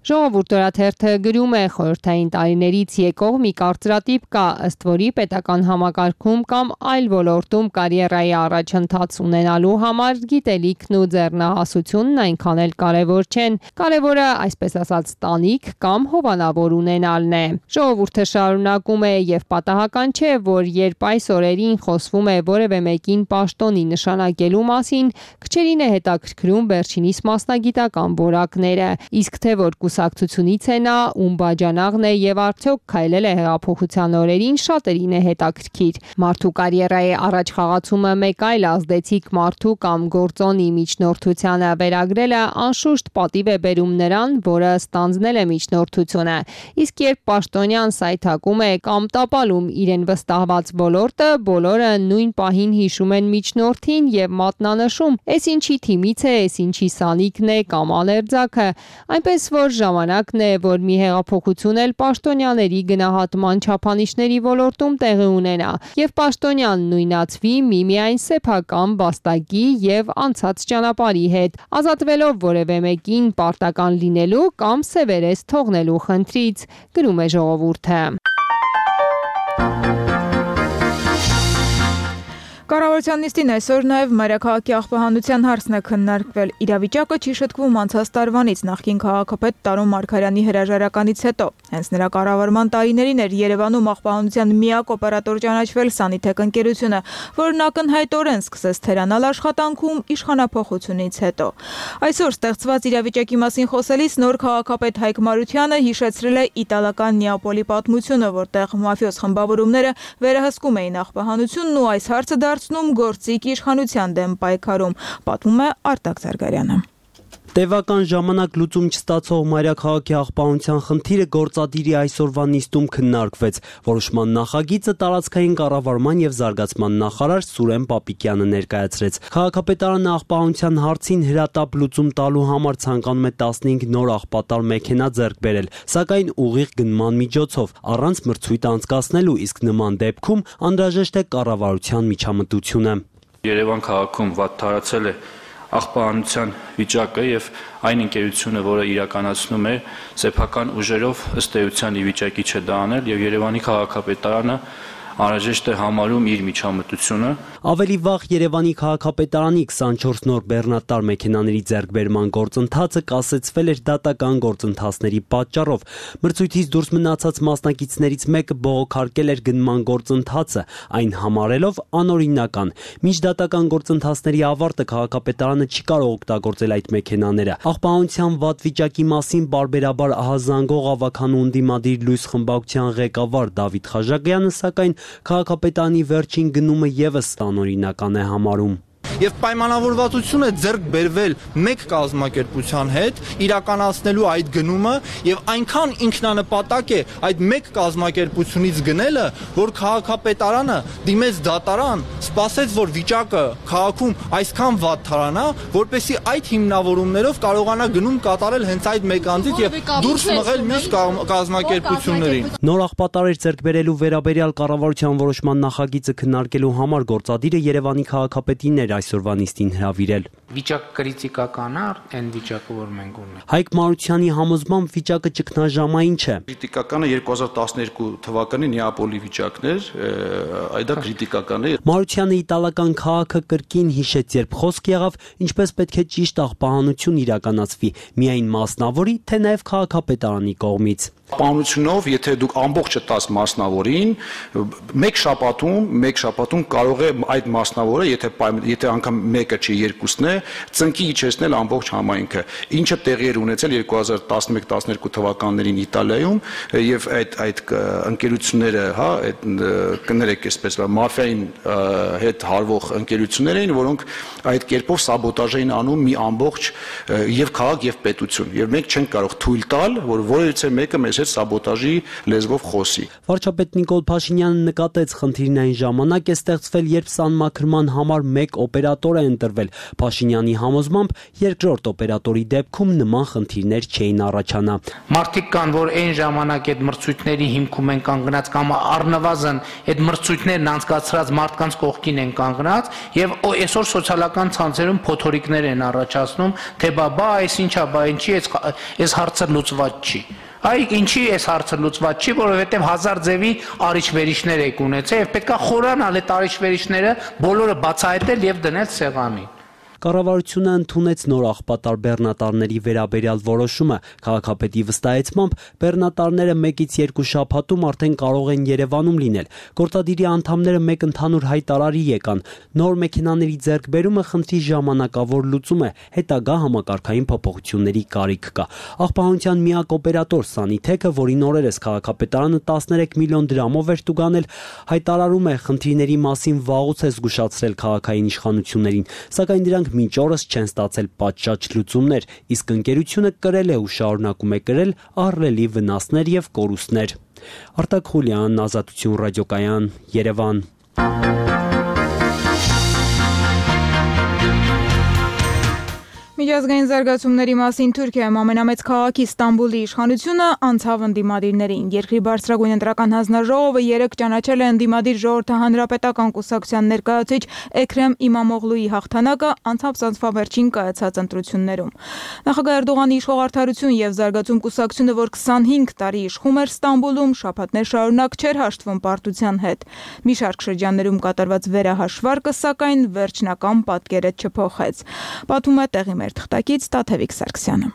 Ժողովուրդ օրաթերթը գրում է խորհրդային տարիներից եկող մի կարծրատիպ կա, ըստ որի պետական համակարգում կամ այլ ոլորտում կարիերայի առաջընթաց ունենալու համար գիտելիքն ու ձեռնահասությունն այնքան էլ կարևոր չեն։ Կարևորը, այսպես ասած, տանիք կամ հովանավոր ունենալն է։ Ժողովուրդը շարունակում է եւ պատահական չէ, որ երբ այս օրերին խոսվում է որևէ մեկին պաշտոնի նշանակելու մասին, քչերին է հետաքրքրում վերջինիս մասնագիտական որակները, իսկ թե որ կուսակցությունից է նա, ում բաժանաղն է եւ արդյոք քայլել է հեղափոխության օրերին, շատերին է հետաքրքիր։ Մարդու կարիերայի առաջ խաղացումը մեկ այլ ազդեցիկ մարդու կամ գործոնի միջնորդությանը վերագրելը անշուշտ պատիվ է բերում նրան, որը ստանձնել է միջնորդությունը։ Իսկ երբ պաշտոնյան սայթակում է կամ տապալում իրեն վստահված ոլորտը, բոլորը նույն պահին հիշում են միջնորդին եւ մատնանշում, «Էս ինչի թիմից է, էս ինչի սանիկն է կամ ալերձակը», այնպես որ ժամանակն է, որ մի հեղափոխություն էլ պաշտոնյաների գնահատման չափանիշների ոլորտում տեղի ունենա եւ պաշտոնյան նույնացվի միմիայն սեփական վաստակի եւ անցած ճանապարհի հետ, ազատվելով որևէ մեկին պարտական լինելու կամ սևերես թողնելու խնդրից, գրում է ժողովուրդը։ Կառավարության նիստին այսօր նաև մայրաքաղաքի աղբահանության հարցն է քննարկվել։ Իրավիճակը չի շտկվում անցած տարվանից նախկին քաղաքապետ Տարոն Մարգարյանի հրաժարականից հետո։ Հենց նրա կառավարման տարիներին էր Երևանում աղբահանության միակ օպերատոր ճանաչվել Սանիթեք ընկերությունը, որն ակնհայտորեն սկսեց թերանալ աշխատանքում իշխանափոխությունից հետո։ Այսօր ստեղծված իրավիճակի մասին խոսելիս նոր քաղաքապետ Հայկ Մարությանը հիշեցրել է իտալական Նեապոլի պատմությունը, որտեղ մաֆիոզ խմբավորումները վերահսկում էին աղբահանությունն ու այս հարցը դարձնում գործիք իշխանության դեմ պայքարում, պատմում է Արտակ Զարգարյանը։ Տևական ժամանակ լուծում չստացող մայրաքաղաքի աղբահանության խնդիրը գործադիրի այսօրվա նիստում քննարկվեց։ Որոշման նախագիծը տարածքային կառավարման եւ զարգացման նախարար Սուրեն Պապիկյանը ներկայացրեց։ Քաղաքապետարանը աղբահանության հարցին հրատապ լուծում տալու համար ցանկանում է 15 նոր աղբատար մեքենա ձեռք բերել, սակայն ուղիղ գնման միջոցով, առանց մրցույթ անցկացնելու, իսկ նման դեպքում անհրաժեշտ է կառավարության միջամտությունը։ Երևան քաղաքում վատ տարածել է աղբահանության վիճակը եւ այն ընկերությունը, որը իրականացնում է սեփական ուժերով ըստ էության ի վիճակի չէ դա անել եւ Երևանի քաղաքապետարանը անհրաժեշտ է համարում իր միջամտությունը։ Ավելի վաղ Երևանի քաղաքապետարանի 24 նոր բեռնատար մեքենաների ձեռքբերման գործընթացը կասեցվել էր դատական գործընթացների պատճառով։ Մրցույթից դուրս մնացած մասնակիցներից մեկը բողոքարկել էր գնման գործընթացը, այն համարելով անօրինական։ Միջդատական գործընթացների ավարտը քաղաքապետարանը չի կարող օգտագործել այդ մեքենաները։ Աղբահանության վատ վիճակի մասին բարբերաբար ահազանգող ավականու ընդդիմադիր լույս խմբակցության ղեկավար Դավիթ Խաժագյանը սակայն քաղաքապետարանի վերջին գնումը եւս անօրինական է համարում։ Եվ պայմանավորվածություն է ձեռք բերվել մեկ կազմակերպության հետ իրականացնելու այդ գնումը եւ այնքան ինքնանպատակ է այդ մեկ կազմակերպությունից գնելը, որ քաղաքապետարանը դիմեց դատարան, սպասեց, որ վիճակը քաղաքում այսքան վատ թարանա, որպեսզի այդ հիմնավորումներով կարողանա գնում կատարել հենց այդ մեկ անձից եւ դուրս մղել մյուս կազմակերպություններին։ Նոր աղբատարեր ձեռք բերելու վերաբերյալ կառավարության որոշման նախագիծը քննարկելու համար գործադիրը Երևանի քաղաքապետին էր այսօրվա նիստին հրավիրել։ Վիճակը կրիտիկական է, այն վիճակը, որ մենք ունենք։ Հայկ Մարությանի համոզմամբ վիճակը ճգնաժամային չէ։ Կրիտիկականը 2012 թվականի Նեապոլի վիճակն էր, այդ դա կրիտիկական է։ Մարությանը իտալական քաղաքը կրկին հիշեց, երբ խոսք եղավ, ինչպես պետք է ճիշտ աղբահանություն իրականացվի, միայն մասնավորի, թե նաև քաղաքապետարանի կողմից։ Պահանջությունով, եթե դուք ամբողջը տաս մասնավորին, մեկ շաբաթում կարող է այդ մասնավորը, եթե անգամ մեկը չի, երկուսն է, ծնկի իջեցնել ամբողջ համայնքը, ինչը տեղի էր ունեցել 2011-12 թվականներին Իտալիայում եւ այդ ընկերությունները, հա, այդ կներեք այսպես մաֆիային հետ հարվող ընկերություններ էին, որոնք այդ կերպով սաբոտաժ էին անում մի ամբողջ եւ քաղաք եւ պետություն, եւ մենք չենք կարող թույլ տալ, որ որևիցե մեկը մեզ հետ սաբոտաժի լեզվով խոսի։ Վարչապետ Նիկոլ Փաշինյանը նկատեց խնդիրն այն ժամանակ է ստեղծվել, երբ սանմաքրման համար մեկ օպերատոր է ընտրվել։ Փաշինյանը Փաշինյանի համոզմամբ երկրորդ օպերատորի դեպքում նման խնդիրներ չէին առաջանա։ Մարդիկ կան, որ այն ժամանակ այդ մրցույթների հիմքում են կանգնած կամ առնվազն այդ մրցույթներն անցկացրած մարդկանց կողքին են կանգնած եւ այսօր սոցիալական ցանցերում փոթորիկներ են առաջացնում, թե բա այս ինչա, բա ինչի այս հարցը լուծված չի։ Այ ինչի այս հարցը լուծված չի, որովհետև հազար ձևի արիչ-վերիչներ եք ունեցել եւ պետքա խորանալ այդ արիչ-վերիչները բոլորը բացահայտել եւ դնել սեղանի։ Կառավարությունը ընդունեց նոր աղբատար բեռնատարների վերաբերյալ որոշումը։ Քաղաքապետի վստահեցմամբ բեռնատարները 1-ից 2 շաբաթում արդեն կարող են Երևանում լինել։ Գործադիրի անդամները մեկ ընդհանուր հայտարարի եկան։ Նոր մեքենաների ձեռքբերումը խնդրի ժամանակավոր լուծում է, հետագա համակարգային փոփոխությունների կարիք կա։ Աղբահանության միակ օպերատոր Սանիթեքը, որին օրերս քաղաքապետարանը 13 միլիոն դրամով էր տուգանել, հայտարարում է խնդիրների մասին վաղուց է զգուշացրել քաղաքային իշխանություններին, սակայն դրանք մինչ օրս չեն ստացել պատշաճ լուծումներ, իսկ ընկերությունը կրել է ու շարունակում է կրել ահռելի վնասներ եւ կորուստներ։ Արտակ Խուլյան, Ազատություն ռադիոկայան, Երևան։ Միջազգային զարգացումների մասին Թուրքիայում ամենամեծ քաղաքի Ստամբուլի իշխանությունը անցավ ընդդիմադիրներին։ Երկրի բարձրագույն ընտրական հանձնաժողովը երեկ ճանաչել է ընդդիմադիր ժողովրդահանրապետական կուսակցության ներկայացուցիչ Էքրեմ Իմամօղլուի հաղթանակը անցավ վերջին կայացած ընտրություններում։ Նախագահ Էրդողանի իշխող Արդարություն եւ զարգացում կուսակցությունը, որ 25 տարի իշխում էր Ստամբուլում, շաբաթներ շարունակ չէր հաշտվում պարտության հետ։ Մի շարք շրջաններում կատարված վերահաշվարկը, սակայն վերջնական պատկերը չփոխեց։ Պատմում է տեղի թղթակից Տաթևիկ Սարգսյանը։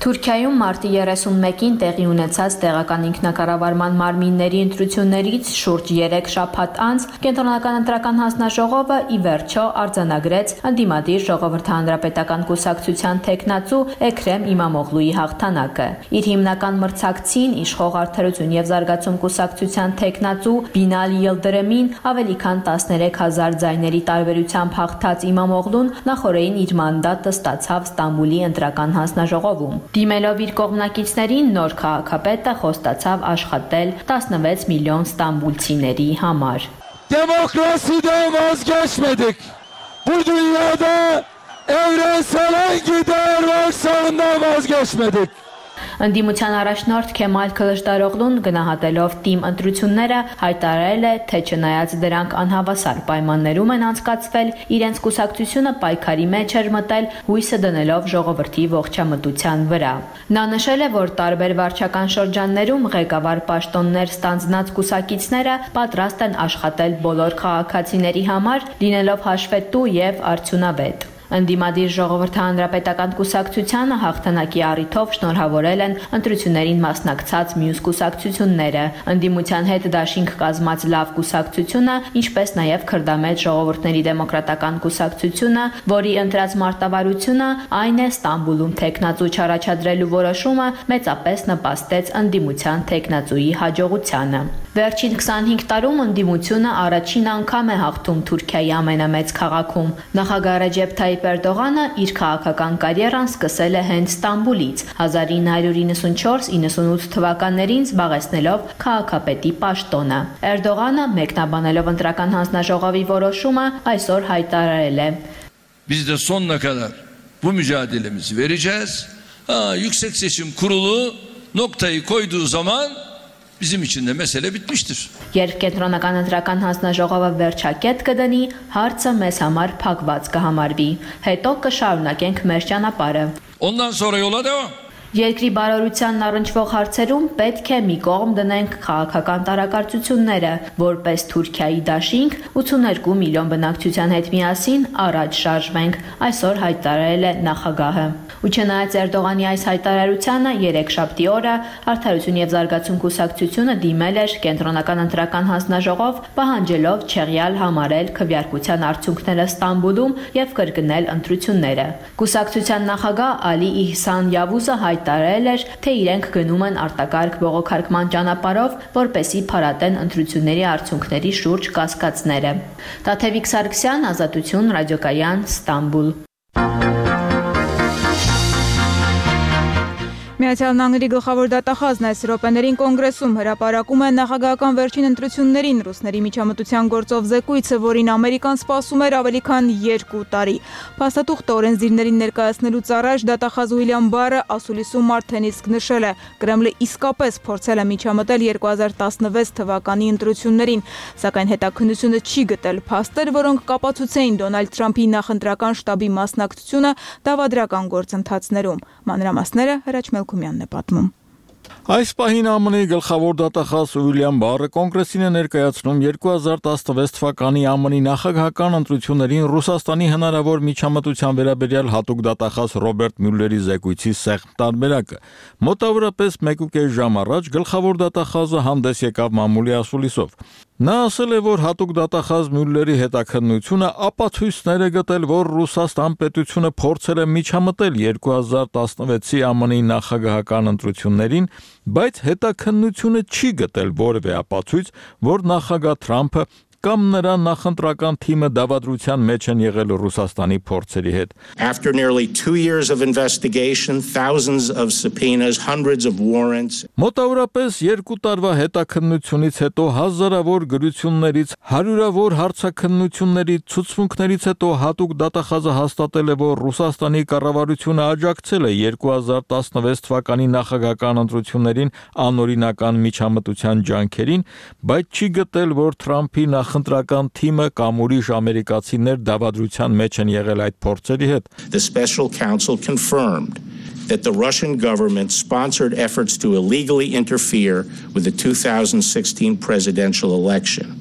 Թուրքիայում մարտի 31-ին տեղի ունեցած տեղական ինքնակառավարման մարմինների ընտրություններից շուրջ 3 շաբաթ անց Կենտրոնական ընտրական հանձնաժողովը ի վերջո արձանագրեց ընդդիմադիր ժողովրդահանրապետական կուսակցության տեխնացու Էքրեմ Իմամօղլուի հաղթանակը։ Իր հիմնական մրցակցին իշխող Արդարություն եւ զարգացում կուսակցության տեխնացու Բինալ Յիլդրեմին ավելի քան 13000 ձայների տարբերությամբ հաղթած Իմամօղլուն նախորդին իր մանդատը ստացավ Ստամբուլի ընտրական հանձնաժողովում։ Դիմելով իր կողմնակիցներին նոր քաղաքապետը խոստացավ աշխատել 16 միլիոն ստամբուլցիների համար։ Demokrasiden vazgeçmedik. Bu dünyada evrensel hangi değer varsa ondan vazgeçmedik. Ընդդիմության առաջնորդ Քեմալ Քլշդարօղլուն գնահատելով թիմ ընտրությունները հայտարարել է, թե չնայած դրանք անհավասար պայմաններում են անցկացվել, իրենց կուսակցությունը պայքարի մեջ էր մտել, հույսը դնելով ժողովրդի ողջամտության վրա։ Նա նշել է, որ տարբեր վարչական շրջաններում ղեկավար պաշտոններ ստանձնած կուսակիցները պատրաստ են աշխատել բոլոր քաղաքացիների համար, լինելով հաշվետու եւ արդյունավետ։ Ընդդիմադիր ժողովրդահանրապետական կուսակցությանը հաղթանակի առիթով շնորհավորել են ընտրություններին մասնակցած մյուս կուսակցությունները։ Ընդդիմության հետ դաշինք կազմած լավ կուսակցությունը, ինչպես նաև Քրդամետ ժողովուրդների դեմոկրատական կուսակցությունը, որի ընտրած մարտավարությունը այն է Ստամբուլում տեխնացու չառաջադրելու որոշումը մեծապես նպաստեց ընդդիմության տեխնացուի հաջողությանը։ Վերջին 25 տարում ընդդիմությունը առաջին անգամ է հաղթում Թուրքիայի ամենամեծ քաղաքում։ Նախագահ Ռեջեփ Թայիփ Էրդողանը իր քաղաքական կարիերան սկսել է հենց Ստամբուլից 1994-98 թվականներին զբաղեցնելով քաղաքապետի պաշտոնը։ Էրդողանը մեկնաբանելով ընտրական հանձնաժողովի որոշումը այսօր haytararել է. Biz de sonuna kadar bu mücadelemizi vereceğiz. Yüksek Seçim Kurulu noktayı koyduğu zaman bizim için de mesele bitmiştir. Երբ կենտրոնական ընտրական հանձնաժողովը վերջակետ կդնի, հարցը մեզ համար փակված կհամարվի։ Հետո կշարունակենք մեր ճանապարհը։ Ondan sonra yola devam. Երկրի բարօրությանն առնչվող հարցերում պետք է մի կողմ դնենք քաղաքական տարակարծությունները, որպես Թուրքիայի դաշինք 82 միլիոն բնակչության հետ միասին առաջ շարժվենք, այսօր հայտարարել է նախագահը։ Ու չնայած Էրդողանի այս հայտարարությանը երեքշաբթի օրը Արդարություն եւ զարգացում կուսակցությունը դիմել էր կենտրոնական ընտրական հանձնաժողով, պահանջելով չեղյալ համարել քվեարկության արդյունքները Ստամբուլում եւ կրկնել ընտրությունները։ Կուսակցության նախագահ Ալի Իհսան Յավուզը հայտարարել էր, թե իրենք գնում են արտակարգ բողոքարկման ճանապարհով, որպեսզի փարատեն ընտրությունների արդյունքների շուրջ կասկածները։ Տաթևիկ Սարգսյան, Ազատություն ռադիոկայան, Ստամբուլ։ Միացյալ Նահանգների գլխավոր դատախազն այս րոպեներին կոնգրեսում հրապարակում է նախագահական վերջին ընտրություններին ռուսների միջամտության գործով զեկույցը, որին Ամերիկան սպասում էր ավելի քան 2 տարի։ Փաստաթուղթը օրենսդիրներին ներկայացնելուց առաջ դատախազ Ուիլյամ Բարը ասուլիսում արդեն իսկ նշել է. Կրեմլը իսկապես փորձել է միջամտել 2016 թվականի ընտրություններին, սակայն հետաքննությունը չի գտել փաստեր, որոնք կապացուցեին Դոնալդ Թրամփի նախընտրական շտաբի մասնակցությունը դավադրական գործընթացներում։ Մանրամասները Հրաչ Մելքումյանն է պատմում։ Այս պահին ԱՄՆ-ի գլխավոր դատախազ Ուիլյամ Բարը կոնգրեսին է ներկայացնում 2016 թվականի ԱՄՆ-ի նախագահական ընտրություններին Ռուսաստանի հնարավոր միջամտության վերաբերյալ հատուկ դատախազ Ռոբերտ Մյուլլերի զեկույցի սեղմ տարբերակը։ Մոտավորապես 1.5 ժամ առաջ գլխավոր դատախազը հանդես եկավ մամուլի ասուլիսով։ Նա ասել է, որ հատուկ դատախազ Մյուլլերի հետաքննությունը ապացույցներ է գտել, որ Ռուսաստան պետությունը փորձել է միջամտել 2016-ի ԱՄՆ-ի նախագահական ընտրություններին, բայց հետաքննությունը չի գտել որևէ ապացույց, որ նախագահ Թրամփը կամ նրա նախընտրական թիմը դավադրության մեջ են եղել Ռուսաստանի փորձերի հետ։ After nearly 2 years of investigation, thousands of subpoenas, hundreds of warrants. Մոտավորապես 2 տարվա հետաքննությունից հետո հազարավոր գրություններից, հարյուրավոր հարցաքննություններից, ցուցմունքներից հետո հատուկ դատախազը հաստատել է, որ Ռուսաստանի կառավարությունը աջակցել է 2016 թվականի նախագահական ընտրություններին անօրինական միջամտության ջանքերին, բայց չի գտել, որ Թրամփի նախընտրական թիմը կամ ուրիշ ամերիկացիներ դավադրության մեջ են եղել այդ փորձերի հետ։ The special counsel confirmed that the Russian government sponsored efforts to illegally interfere with the 2016 presidential election,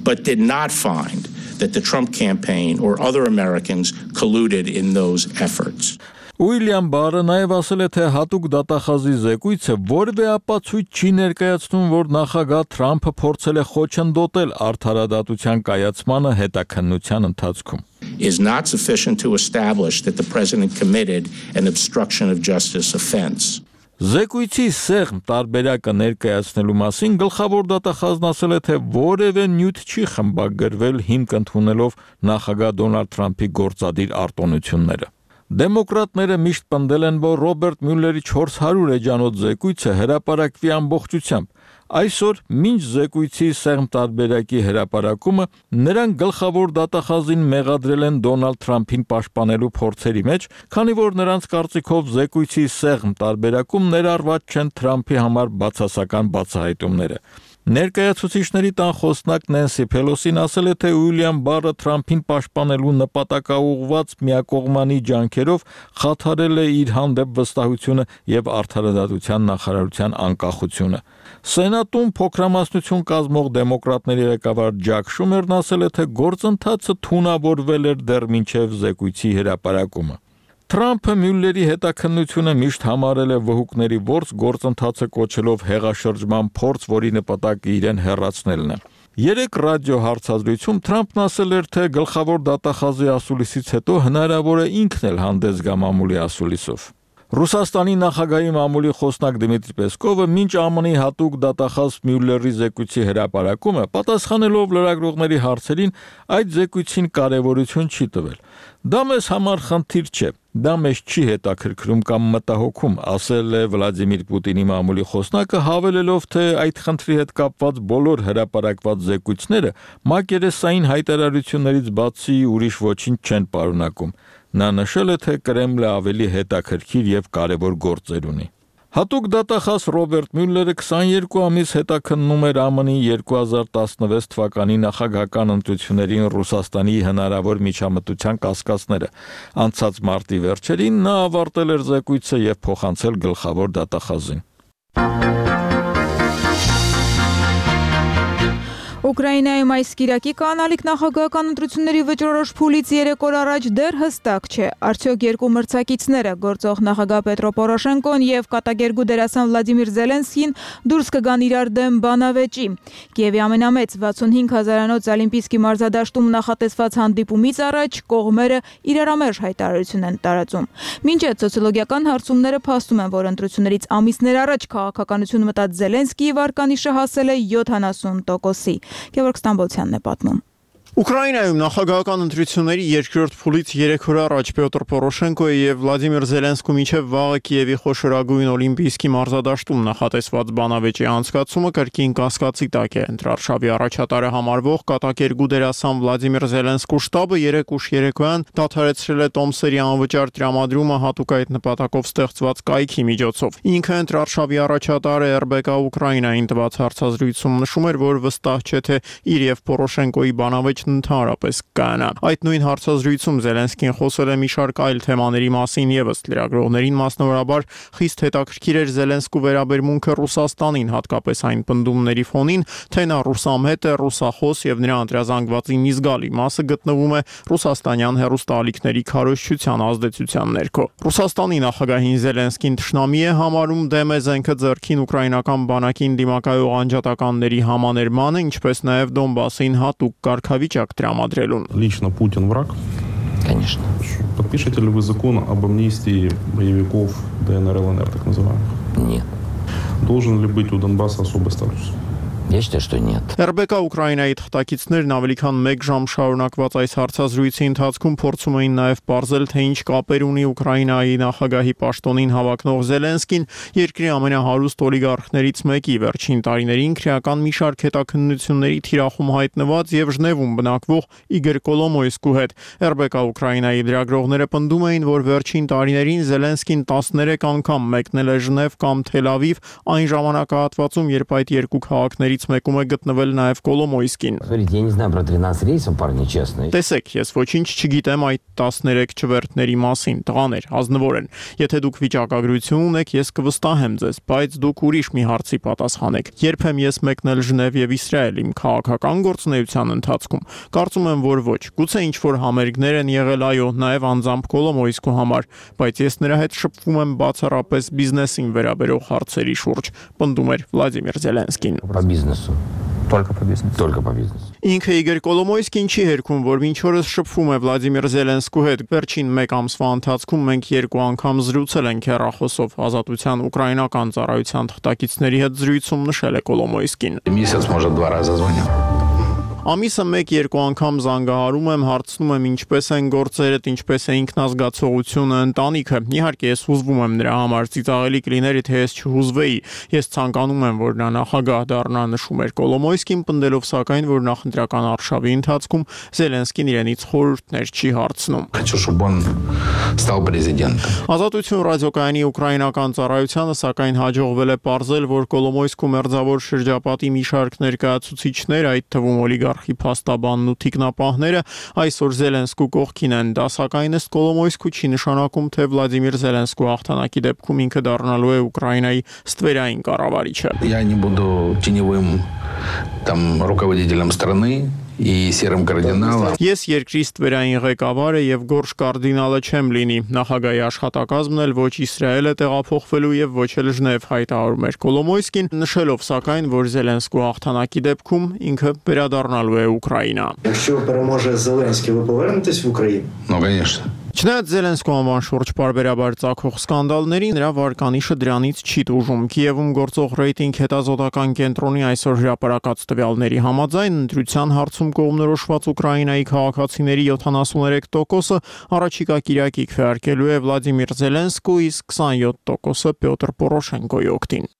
but did not find that the Trump campaign or other Americans colluded in those efforts. Ուիլյամ Բարը նաև ասել է, թե հատուկ դատախազի զեկույցը որևէ ապացույց չի ներկայացնում, որ նախագահ Թրամփը փորձել է խոչընդոտել արդարադատության կայացմանը հետաքննության ընթացքում. Is not sufficient to establish that the president committed an obstruction of justice offense. Զեկույցի սեղմ տարբերակը ներկայացնելու մասին գլխավոր դատախազն ասել է, թե որևէ նյութ չի խմբագրվել հիմք ընդունելով նախագահ Դոնալդ Թրամփի գործադիր արտոնությունները։ Դեմոկրատները միշտ պնդել են, որ Ռոբերտ Մյուլլերի 400 էջանոց զեկույցը հրապարակվի ամբողջությամբ։ Այսօր, մինչ զեկույցի սեղմ տարբերակի հրապարակումը, նրանք գլխավոր դատախազին մեղադրել են Դոնալդ Թրամփին պաշտպանելու փորձերի մեջ, քանի որ նրանց կարծիքով զեկույցի սեղմ տարբերակում ներառված չեն Թրամփի համար բացասական բացահայտումները։ Ներկայացուցիչների տան խոսնակ Նենսի Փելոսին ասել է, թե Ուիլյամ Բարը Թրամփին պաշտպանելու նպատակաուղղված միակողմանի ջանքերով խաթարել է իր հանդեպ վստահությունը եւ արդարադատության նախարարության անկախությունը։ Սենատում փոքրամասնություն կազմող դեմոկրատների ղեկավար Ջակ Շումերն ասել է, թե գործընթացը թունավորվել էր դեռ մինչև զեկույցի հրապարակումը։ Թրամփը Մյուլլերի հետաքննությունը միշտ համարել է վհուկների ворս, գործընթացը կոչելով հեղաշրջման փորձ, որի նպատակը իրեն հեռացնելն է։ Երեք ռադիո հարցազրույցում Թրամփն ասել էր, թե գլխավոր դատախազի ասուլիսից հետո հնարավոր է ինքն էլ հանդես գա մամուլի ասուլիսով։ Ռուսաստանի նախագահի մամուլի խոսնակ Դմիտրի Պեսկովը մինչ ԱՄՆ-ի հատուկ դատախազ Մյուլլերի զեկույցի հրապարակումը պատասխանելով լրագրողների հարցերին այդ զեկույցին կարևորություն չի տվել։ Դա մեզ համար խնդիր չէ, դա մեզ չի հետաքրքրում կամ մտահոգում, ասել է Վլադիմիր Պուտինի մամուլի խոսնակը, հավելելով, թե այդ խնդրի հետ կապված բոլոր հրապարակված զեկույցները մակերեսային հայտարարություններից բացի ուրիշ ոչինչ չեն պարունակում։ Նա նշել է, թե Կրեմլը ավելի հետաքրքիր եւ կարևոր գործեր ունի։ Հատուկ դատախազ Ռոբերտ Մյուլլերը 22 ամիս հետաքննում էր ԱՄՆ-ի 2016 թվականի նախագահական ընտրություններին Ռուսաստանի հնարավոր միջամտության կասկածները։ Անցած մարտի վերջերին նա ավարտել էր զեկույցը եւ փոխանցել գլխավոր դատախազին։ Ուկրաինայում այս կիրակի կանալիք նախագահական ընտրությունների վճռորոշ փուլից 3 օր առաջ դեռ հստակ չէ, արդյոք երկու մրցակիցները գործող նախագահ Պետրո Պորոշենկոն եւ կատակերգու դերասան Վլադիմիր Զելենսկին դուրս կգան իրար դեմ բանավեճի։ Կիևի ամենամեծ 65000-անոց Օլիմպիական մարզադաշտում նախատեսված հանդիպումից առաջ կողմերը իրարամերժ հայտարարություն են տարածում։ Մինչ այդ սոցիոլոգիական հարցումները փաստում են, որ ընտրություններից ամիսներ առաջ քաղաքականություն մտած Զելենսկիի վարկանիշը հասել է 70%-ի։ Գևորգ Ստամբոլցյանն է պատմում։ Ուկրաինայում նախագահական ընտրությունների երկրորդ փուլից 3 օր առաջ Պյոտր Պորոշենկոյի եւ Վլադիմիր Զելենսկու միջև վաղը Կիևի խոշորագույն Օլիմպիիսկի մարզադաշտում նախատեսված բանավեճի անցկացումը կրկին կասկածի տակ է։ Ընտրարշավի առաջատարը համարվող կատակերգու դերասան Վլադիմիր Զելենսկու շտաբը 3 ուշ երեկոյան դադարեցրել է տոմսերի անվճար տրամադրումը հատուկ այդ նպատակով ստեղծված կայքի միջոցով։ Ինքը ընտրարշավի առաջատարը RBK Ուկրաինային տված հարցազրույցում նշում էր, որ վստահ չէ թե իր եւ Պորոշենկոյի բանավեճ ընդհանրապես կանա։ Այդ նույն հարցազրույցում Զելենսկին խոսել է մի շարք այլ թեմաների մասին եւս լրագրողներին մասնավորաբար խիստ հետաքրքիր էր Զելենսկու վերաբերմունքը Ռուսաստանին, հատկապես այն պնդումների ֆոնին, թե նա ռուսամետ է, ռուսախոս եւ նրա անդրազանգվածի մի զգալի մասը գտնվում է ռուսաստանյան հեռուստաալիքների քարոզչության ազդեցության ներքո։ Ռուսաստանի նախագահին Զելենսկին թշնամի է համարում, դեմ է զենքը ձեռքին ուկրաինական բանակին դիմակայող անջատականների համաներմանը, ինչպես նաեւ Դոնբասին հատուկ կարգավիճակ տրամադրելուն։ Лично Путин враг? Конечно. Подпишете ли вы закон об амнистии боевиков ДНР, ЛНР, так называемых? Нет. Должен ли быть у Донбасса особый статус? Я считаю, что нет. RBK Ուկրաինայի թղթակիցներն ավելի քան 1 ժամ շարունակված այս հարցազրույցի ընթացքում փորձում էին նաև պարզել, թե ինչ կապեր ունի Ուկրաինայի նախագահի պաշտոնին հավակնող Զելենսկին երկրի ամենահարուստ օլիգարխներից մեկի վերջին տարիներին քրեական մի շարք հետաքննությունների թիրախում հայտնված եւ Ժնևում բնակվող Իգոր Կոլոմոյսկու հետ։ RBK Ուկրաինայի լրագրողները պնդում էին, որ վերջին տարիներին Զելենսկին 13 անգամ մեկնել է Ժնև կամ Թել Ավիվ, այն ժամանակահատվածում, երբ այդ երկու քաղաքների մեկում է գտնվել նաև Կոլոմոյսկին։ Смотрите, я не знаю про 13 рейсов, парни, честно. Տեսեք, ես ոչինչ չգիտեմ այդ 13 չվերթների մասին, տղաներ, ազնվոր են։ Եթե դուք վիճակագրություն ունեք, ես կվստահեմ ձեզ, բայց դուք ուրիշ մի հարցի պատասխանեք։ Երբ եմ ես մեկնել Ժնև եւ Իսրայել իմ քաղաքական գործունեության ընթացքում։ Կարծում եմ, որ ոչ։ Գուցե ինչ որ համերգներ են եղել, այո, նաև անձամբ Կոլոմոյսկու համար, բայց ես նրա հետ շփվում եմ բացառապես բիզնեսին վերաբերող հարցերի շուրջ, պնդում էր Վլադիմիր Զելենսկին։ Только по бизнесу. Только по бизнесу. Ինքը Իգոր Կոլոմոյսկին չի հերքում, որ մինչ օրս շփվում է Վլադիմիր Զելենսկու հետ։ Վերջին 1 ամսվա ընթացքում մենք 2 անգամ զրուցել ենք հեռախոսով։ Ազատության ուկրաինական ծառայության թղթակիցների հետ զրույցում նշել է Կոլոմոյսկին։ Месяц, может, 2 раза звонил. Ամիսը 1-2 անգամ զանգահարում եմ, հարցնում եմ ինչպես են գործերդ, ինչպես է ինքնազգացողությունը, ընտանիքը։ Իհարկե ես հուզվում եմ նրա համար, ծիծաղելի կլիներ, թե ես չհուզվեի։ Ես ցանկանում եմ, որ նա նախագահ դառնա, նշում էր Կոլոմոյսկին, պնդելով սակայն, որ նախընտրական արշավի ընթացքում Զելենսկին իրենից խորհուրդներ չի հարցնում։ Хочу, чтобы он стал президентом. Ազատություն ռադիոկայանի ուկրաինական ծառայությանը սակայն հաջողվել է պարզել, որ Կոլոմոյսկու մերձավոր շրջապատի մի շարք ներկայացուցիչներ, այդ թվում օլիգարխի փաստաբանն ու թիկնապահները այսօր Զելենսկու կողքին են։ Դա սակայն ըստ Կոլոմոյսկու չի նշանակում, թե Վլադիմիր Զելենսկու հաղթանակի դեպքում ինքը դառնալու է Ուկրաինայի ստվերային կառավարիչը։ Я не буду теневым там руководителем страны и серым кардиналом. Ես երկրի ստվերային ղեկավարը եւ գորշ կարդինալը չեմ լինի։ Նախագահի աշխատակազմն էլ ոչ Իսրայել է տեղափոխվելու եւ ոչ էլ Ժնև, հայտարարում էր Կոլոմոյսկին, նշելով սակայն, որ Զելենսկու հաղթանակի դեպքում ինքը վերադառնալու է Ուկրաինա։ Якщо переможе Зеленський, ви повернетесь в Україну? Ну, конечно. Չնայած Զելենսկու անվան շուրջ պարբերաբար ծագող սկանդալների, նրա վարկանիշը դրանից չի տուժում։ Կիևում գործող ռեյտինգ հետազոտական կենտրոնի այսօր հրապարակած տվյալների համաձայն ընտրության հարցում կողմնորոշված Ուկրաինայի քաղաքացիների 73%-ը առաջիկա կիրակի քվեարկելու է Վլադիմիր Զելենսկու, իսկ 27%-ը Պյոտր Պորոշենկոյի օգտին։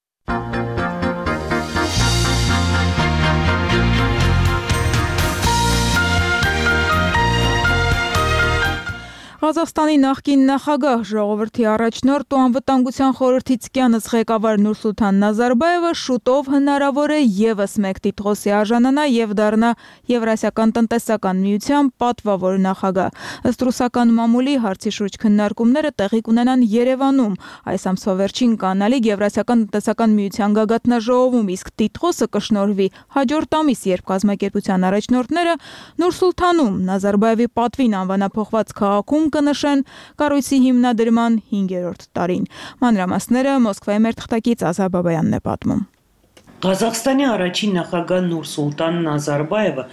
Ղազախստանի նախկին նախագահ, ժողովրդի առաջնորդ ու անվտանգության խորհրդի ցկյանց ղեկավար Նուրսուլթան Նազարբաևը շուտով հնարավոր է եւս մեկ տիտղոսի արժանանա եւ դառնա Եվրասիական տնտեսական միության պատվավոր նախագահ։ Ըստ ռուսական մամուլի հարցի շուրջ քննարկումները տեղի կունենան Երևանում այս ամսվա վերջին կանալիք Եվրասիական տնտեսական միության գագաթնաժողովում, իսկ տիտղոսը կշնորհվի հաջորդ ամիս, երբ կազմակերպության առաջնորդները Նուրսուլթանում Նազարբաևի պատվին անվանափոխված քաղաքում կնշեն կառույցի հիմնադրման 5-րդ տարին։ Մանրամասները Մոսկվայի մեր թղթակից Ազա Բաբայանն է պատմում։ Ղազախստանի առաջին նախագահ Նուրսուլտան Նազարբաևը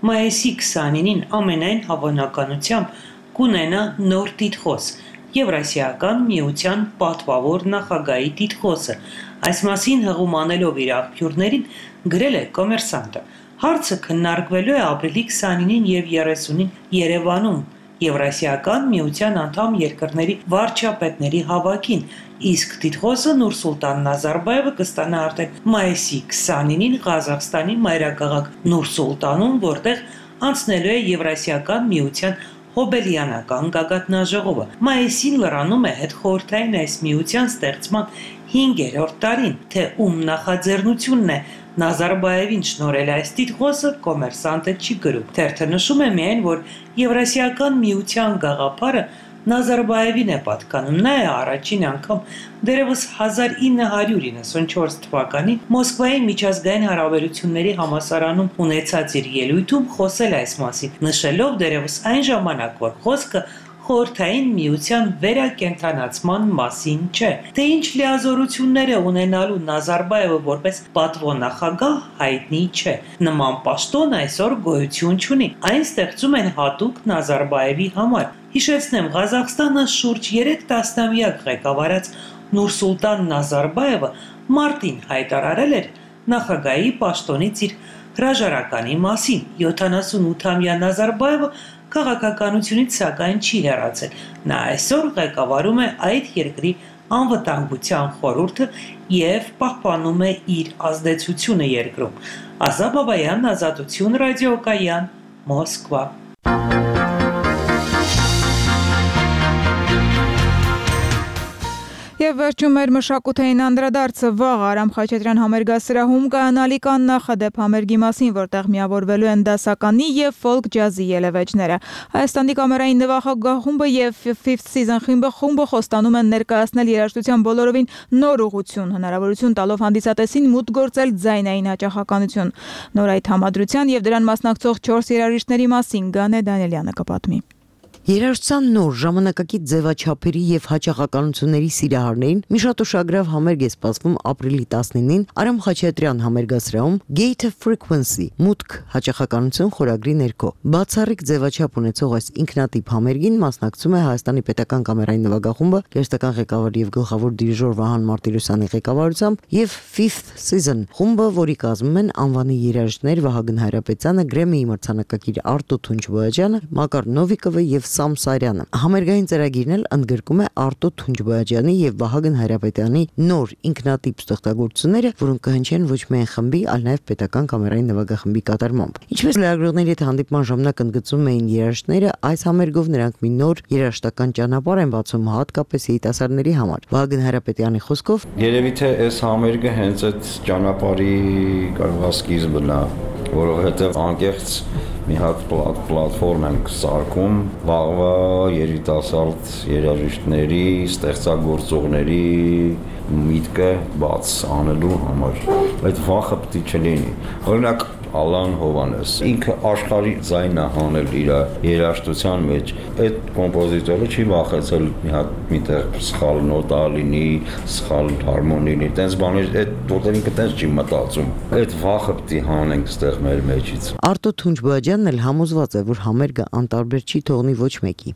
մայիսի 29-ին ամենայն հավանականությամբ կունենա նոր տիտղոս՝ Եվրասիական միության պատվավոր նախագահի տիտղոսը։ Այս մասին հղում անելով իր աղբյուրներին գրել է Կոմերսանտը։ Հարցը քննարկվելու է ապրիլի 29-ին եւ 30-ին Երևանում Եվրասիական միության անդամ երկրների վարչապետների հավաքին, իսկ տիտղոսը Նուրսուլտան Նազարբայևը կստանա արդեն մայիսի 29-ին Ղազախստանի մայրաքաղաք Նուրսուլտանում, որտեղ անցնելու է Եվրասիական միության հոբելյանական գագաթնաժողովը։ Մայիսին լրանում է հետխորհրդային այս միության ստեղծման 5-րդ տարին, թե ում նախաձեռնությունն է Նազարբայևին շնորհել այս տիտղոսը կոմերսանտը չի գրում։ Թերթը նշում է միայն, որ Եվրասիական միության գաղափարը Նազարբայևին է պատկանում։ Նա է առաջին անգամ դեռևս 1994 թվականին Մոսկվայի միջազգային հարաբերությունների համալսարանում ունեցած իր ելույթում խոսել այս մասին, նշելով դեռևս այն ժամանակ, որ խոսքը խորհրդային միության վերակենդանացման մասին չէ, թե ինչ լիազորություններ է ունենալու Նազարբայևը որպես պատվոնախագահ հայտնի չէ։ Նման պաշտոն այսօր գոյություն չունի, այն ստեղծում են հատուկ Նազարբայևի համար։ Հիշեցնեմ, Ղազախստանը շուրջ 3 տասնամյակ ղեկավարած Նուրսուլտան Նազարբայևը մարտին հայտարարել էր նախագահի պաշտոնից իր հրաժարականի մասին։ 78-ամյա Նազարբայևը քաղաքականությունից սակայն չի հեռացել։ Նա այսօր ղեկավարում է այդ երկրի անվտանգության խորհուրդը եւ պահպանում է իր ազդեցությունը երկրում։ Ազատ Բաբայան, Ազատություն ռադիոկայան, Մոսկվա։ Եվ վերջում մեր մշակութային անդրադարձը վաղ Արամ Խաչատրյան համերգասրահում կայանալիք աննախադեպ համերգի մասին, որտեղ միավորվելու են դասականի եւ ֆոլք ջազի ելևէջները։ Հայաստանի կամերային նվագախմբը խումբը եւ Fifth Season խումբը խոստանում են ներկայացնել երաժշտության բոլորովին նոր ուղղություն, հնարավորություն տալով հանդիսատեսին մուտք գործել ձայնային հաճախականություն։ Նոր այդ համադրության եւ դրան մասնակցող 4 երաժիշտների մասին Գանե Դանիելյանը կպատմի։ Երաժշտության նոր ժամանակակից ձևաչափերի եւ հաճախականությունների սիրահարներին մի շատ ուշագրավ համերգ է սպասվում ապրիլի 19-ին Արամ Խաչատրյան համերգասրահում Gate of Frequency մուտք հաճախականություն խորագրի ներքո։ Բացառիկ ձևաչափ ունեցող այս ինքնատիպ համերգին մասնակցում է Հայաստանի պետական կամերային նվագախումբը, գերստական ղեկավար եւ գլխավոր դիրիժոր Վահան Մարտիրոսյանի ղեկավարությամբ եւ Fifth Season խումբը, որի կազմում են անվանի երաժիշտներ Վահագն Հայրապետյանը, Գրեմմիի մրցանակակիր Արտո Թունջբոյաջյանը, Մակար Նովիկովը եւ Սամ Սարյանը։ Համերգային ծրագիրն էլ ընդգրկում է Արտո Թունջբոյաջյանի եւ Վահագն Հայրապետյանի նոր ինքնատիպ ստեղծագործությունները, որոնք կհնչեն ոչ միայն խմբի, այլ նաեւ պետական կամերային նվագախմբի կատարմամբ։ Ինչպես լրագրողների հետ հանդիպման ժամանակ ընդգծում էին երաժիշտները, այս համերգով նրանք մի նոր երաժշտական ճանապարհ են բացում հատկապես երիտասարդների համար։ Վահագն Հայրապետյանի խոսքով երևի թե այս համերգը հենց այդ ճանապարհի կարող է սկիզբն է, որովհետեւ անկեղծ մի հատ պլատֆորմ ենք սարքում վաղվա երիտասարդ երաժիշտների, ստեղծագործողների միտքը բաց անելու համար։ Այդ վախը պետք է չլինի։ Օրինակ Ալան Հովանես ինքը աշխարհի ձայնը հանել իր երաժշտության մեջ, այդ կոմպոզիտորը չի վախեցել մի հատ միտեղ սխալ նոտա լինի, սխալ հարմոնի լինի, տենց բաներ, այդ որտեղ ինքը տենց չի մտածում։ Այդ վախը պետք է հանենք ստեղ մեր մեջից։ Արտո Թունջբոյաջյանն էլ համոզված է, որ համերգը անտարբեր չի թողնի ոչ մեկի։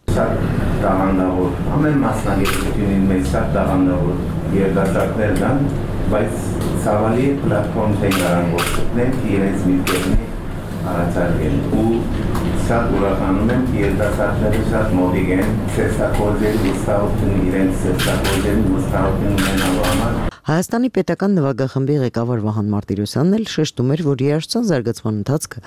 Տաղանդավոր, ամեն մասնագետությունին մեջ սա տաղանդավոր երդասարտներն են, բայց ցավալի պլատֆորմ ցեգարան գործնեն իրենց միտքերն առաջարկեն ու սա ուրախանում են երդասարտները շատ մոդիկ են սերտակոզերի վստահություն իրենց սերտակոզերի վստահություն ունենալու համար։ Հայաստանի պետական նվագախմբի ղեկավար Վահան Մարտիրոսյանն էլ շեշտում էր, որ երաժշտության զարգացման ընթացքը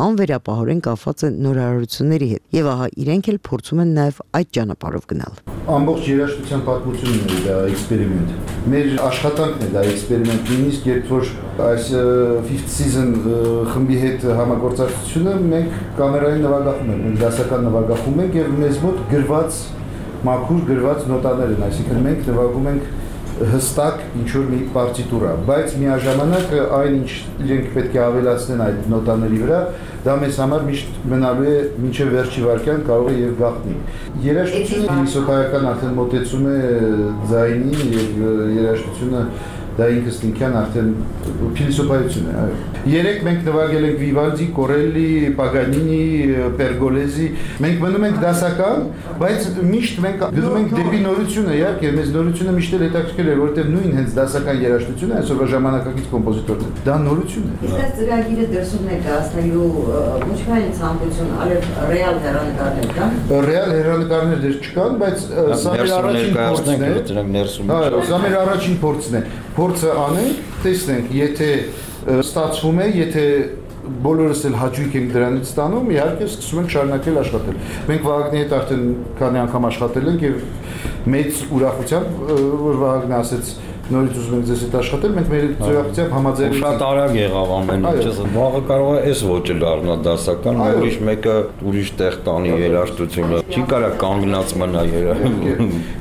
անվերապահորեն կապված է նորարարությունների հետ, եւ ահա իրենք էլ փորձում են նաեւ այդ ճանապարհով գնալ։ Ամբողջ երաժշտության պատմությունն է դա էքսպերիմենտ։ Մեր աշխատանքն է դա էքսպերիմենտ, նույնիսկ երբ որ այս Fifth Season խմբի հետ համագործակցությունը մենք կամերային նվագախումբ ենք, մենք դասական նվագախումբ ենք եւ մեզ մոտ գրված մաքուր գրված նոտաներ են, այսինքն մենք նվագում ենք հստակ ինչ-որ մի պարտիտուրա, բայց միաժամանակ այն ինչ իրենք պետք է ավելացնեն այդ նոտաների վրա, դա մեզ համար միշտ մնալու է մինչև վերջի վայրկյան կարող է եւ գաղտնի։ Երաժշտությունը փիլիսոփայական արդեն մոտեցում է ձայնին եւ երաժշտությունը դա ինքս ինքյան արդեն փիլիսոփայություն է, այո։ Երեք մենք նվագել ենք Վիվալդի, Կորելլի, Պագանինի, Պերգոլեզի, մենք մնում ենք դասական, բայց միշտ մենք գնում ենք դեպի նորությունը, իհարկե, մեզ նորությունը միշտ էլ հետաքրքրել է, որովհետև նույն հենց դասական երաժշտությունը այսօրվա ժամանակակից կոմպոզիտորն է։ Դա նորություն է։ Իսկ այս ծրագիրը դրսում եք հասնելու ոչ միայն ցանկություն, այլև ռեալ հեռանկարներ կան։ Ռեալ հեռանկարներ դեռ չկան, բայց սա մեր առաջին փորձն է։ Այո, սա մեր առաջին փորձն է։ Փորձը անենք, տեսնենք, եթե ստացվում է, եթե բոլորս էլ հաճույք ենք դրանից ստանում, իհարկե սկսում ենք շարունակել աշխատել։ Մենք Վահագնի հետ արդեն քանի անգամ աշխատել ենք եւ մեծ ուրախությամբ, որ Վահագնը ասեց նորից ուզում ենք ձեզ հետ աշխատել, մենք մեր ուրախությամբ համաձայնեցինք։ Շատ արագ եղավ ամեն ինչը։ Վաղը կարող է այս ոճը դառնալ դասական, ուրիշ մեկը ուրիշ տեղ տանի երաժշտությունը։ Չի կարա կանգնած մնա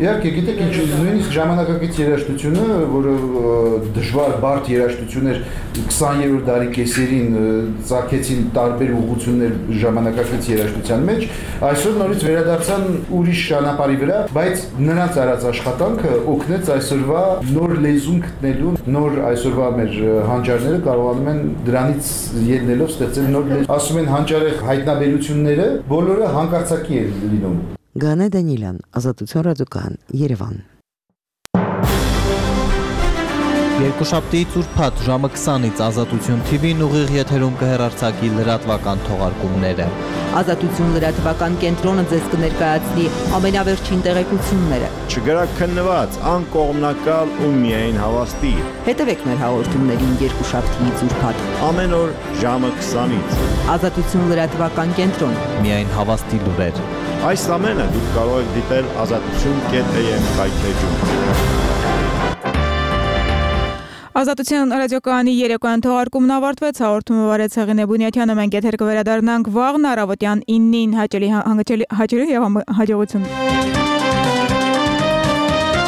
Իհարկե, գիտեք ինչ, նույնիսկ ժամանակակից երաժշտությունը, որը դժվար բարդ երաժշտություն էր 20-րդ դարի կեսերին ծագեցին տարբեր ուղղություններ ժամանակակից երաժշտության մեջ, այսօր նորից վերադարձան ուրիշ ճանապարհի վրա, բայց նրանց արած աշխատանքը օգնեց այսօրվա նոր լեզուն գտնելու, նոր այսօրվա մեր հանճարները կարողանում են դրանից ելնելով ստեղծել նոր լեզու։ Ասում են հանճարեղ հայտնաբերությունները բոլորը հանկարծակի են լինում։ Գանե Դանիելյան, Ազատություն ռադիոկայան, Երևան։ Երկուշաբթի ծուրփաթ ժամը 20-ից Ազատություն TV-ն ուղիղ եթերում կհեռարձակի լրատվական թողարկումները։ Ազատություն լրատվական կենտրոնը ձեզ կներկայացնի ամենավերջին տեղեկությունները։ Չգրաքննված, անկողմնակալ ու միայն հավաստի։ Հետևեք մեր հաղորդումներին երկուշաբթի ծուրփաթ ամեն օր ժամը 20-ից։ Ազատություն լրատվական կենտրոն։ Միայն հավաստի լուրեր։ Այս ամենը դուք կարող եք դիտել azatutun.am կայքեջում։ Ազատության ռադիոկայանի երեկոյան թողարկումն ավարտվեց, հաղորդումը վարեց Հեղինե Բունյաթյանը, մենք եթեր կվերադառնանք վաղն առավոտյան 9-ին, հաճելի եւ հաջողություն։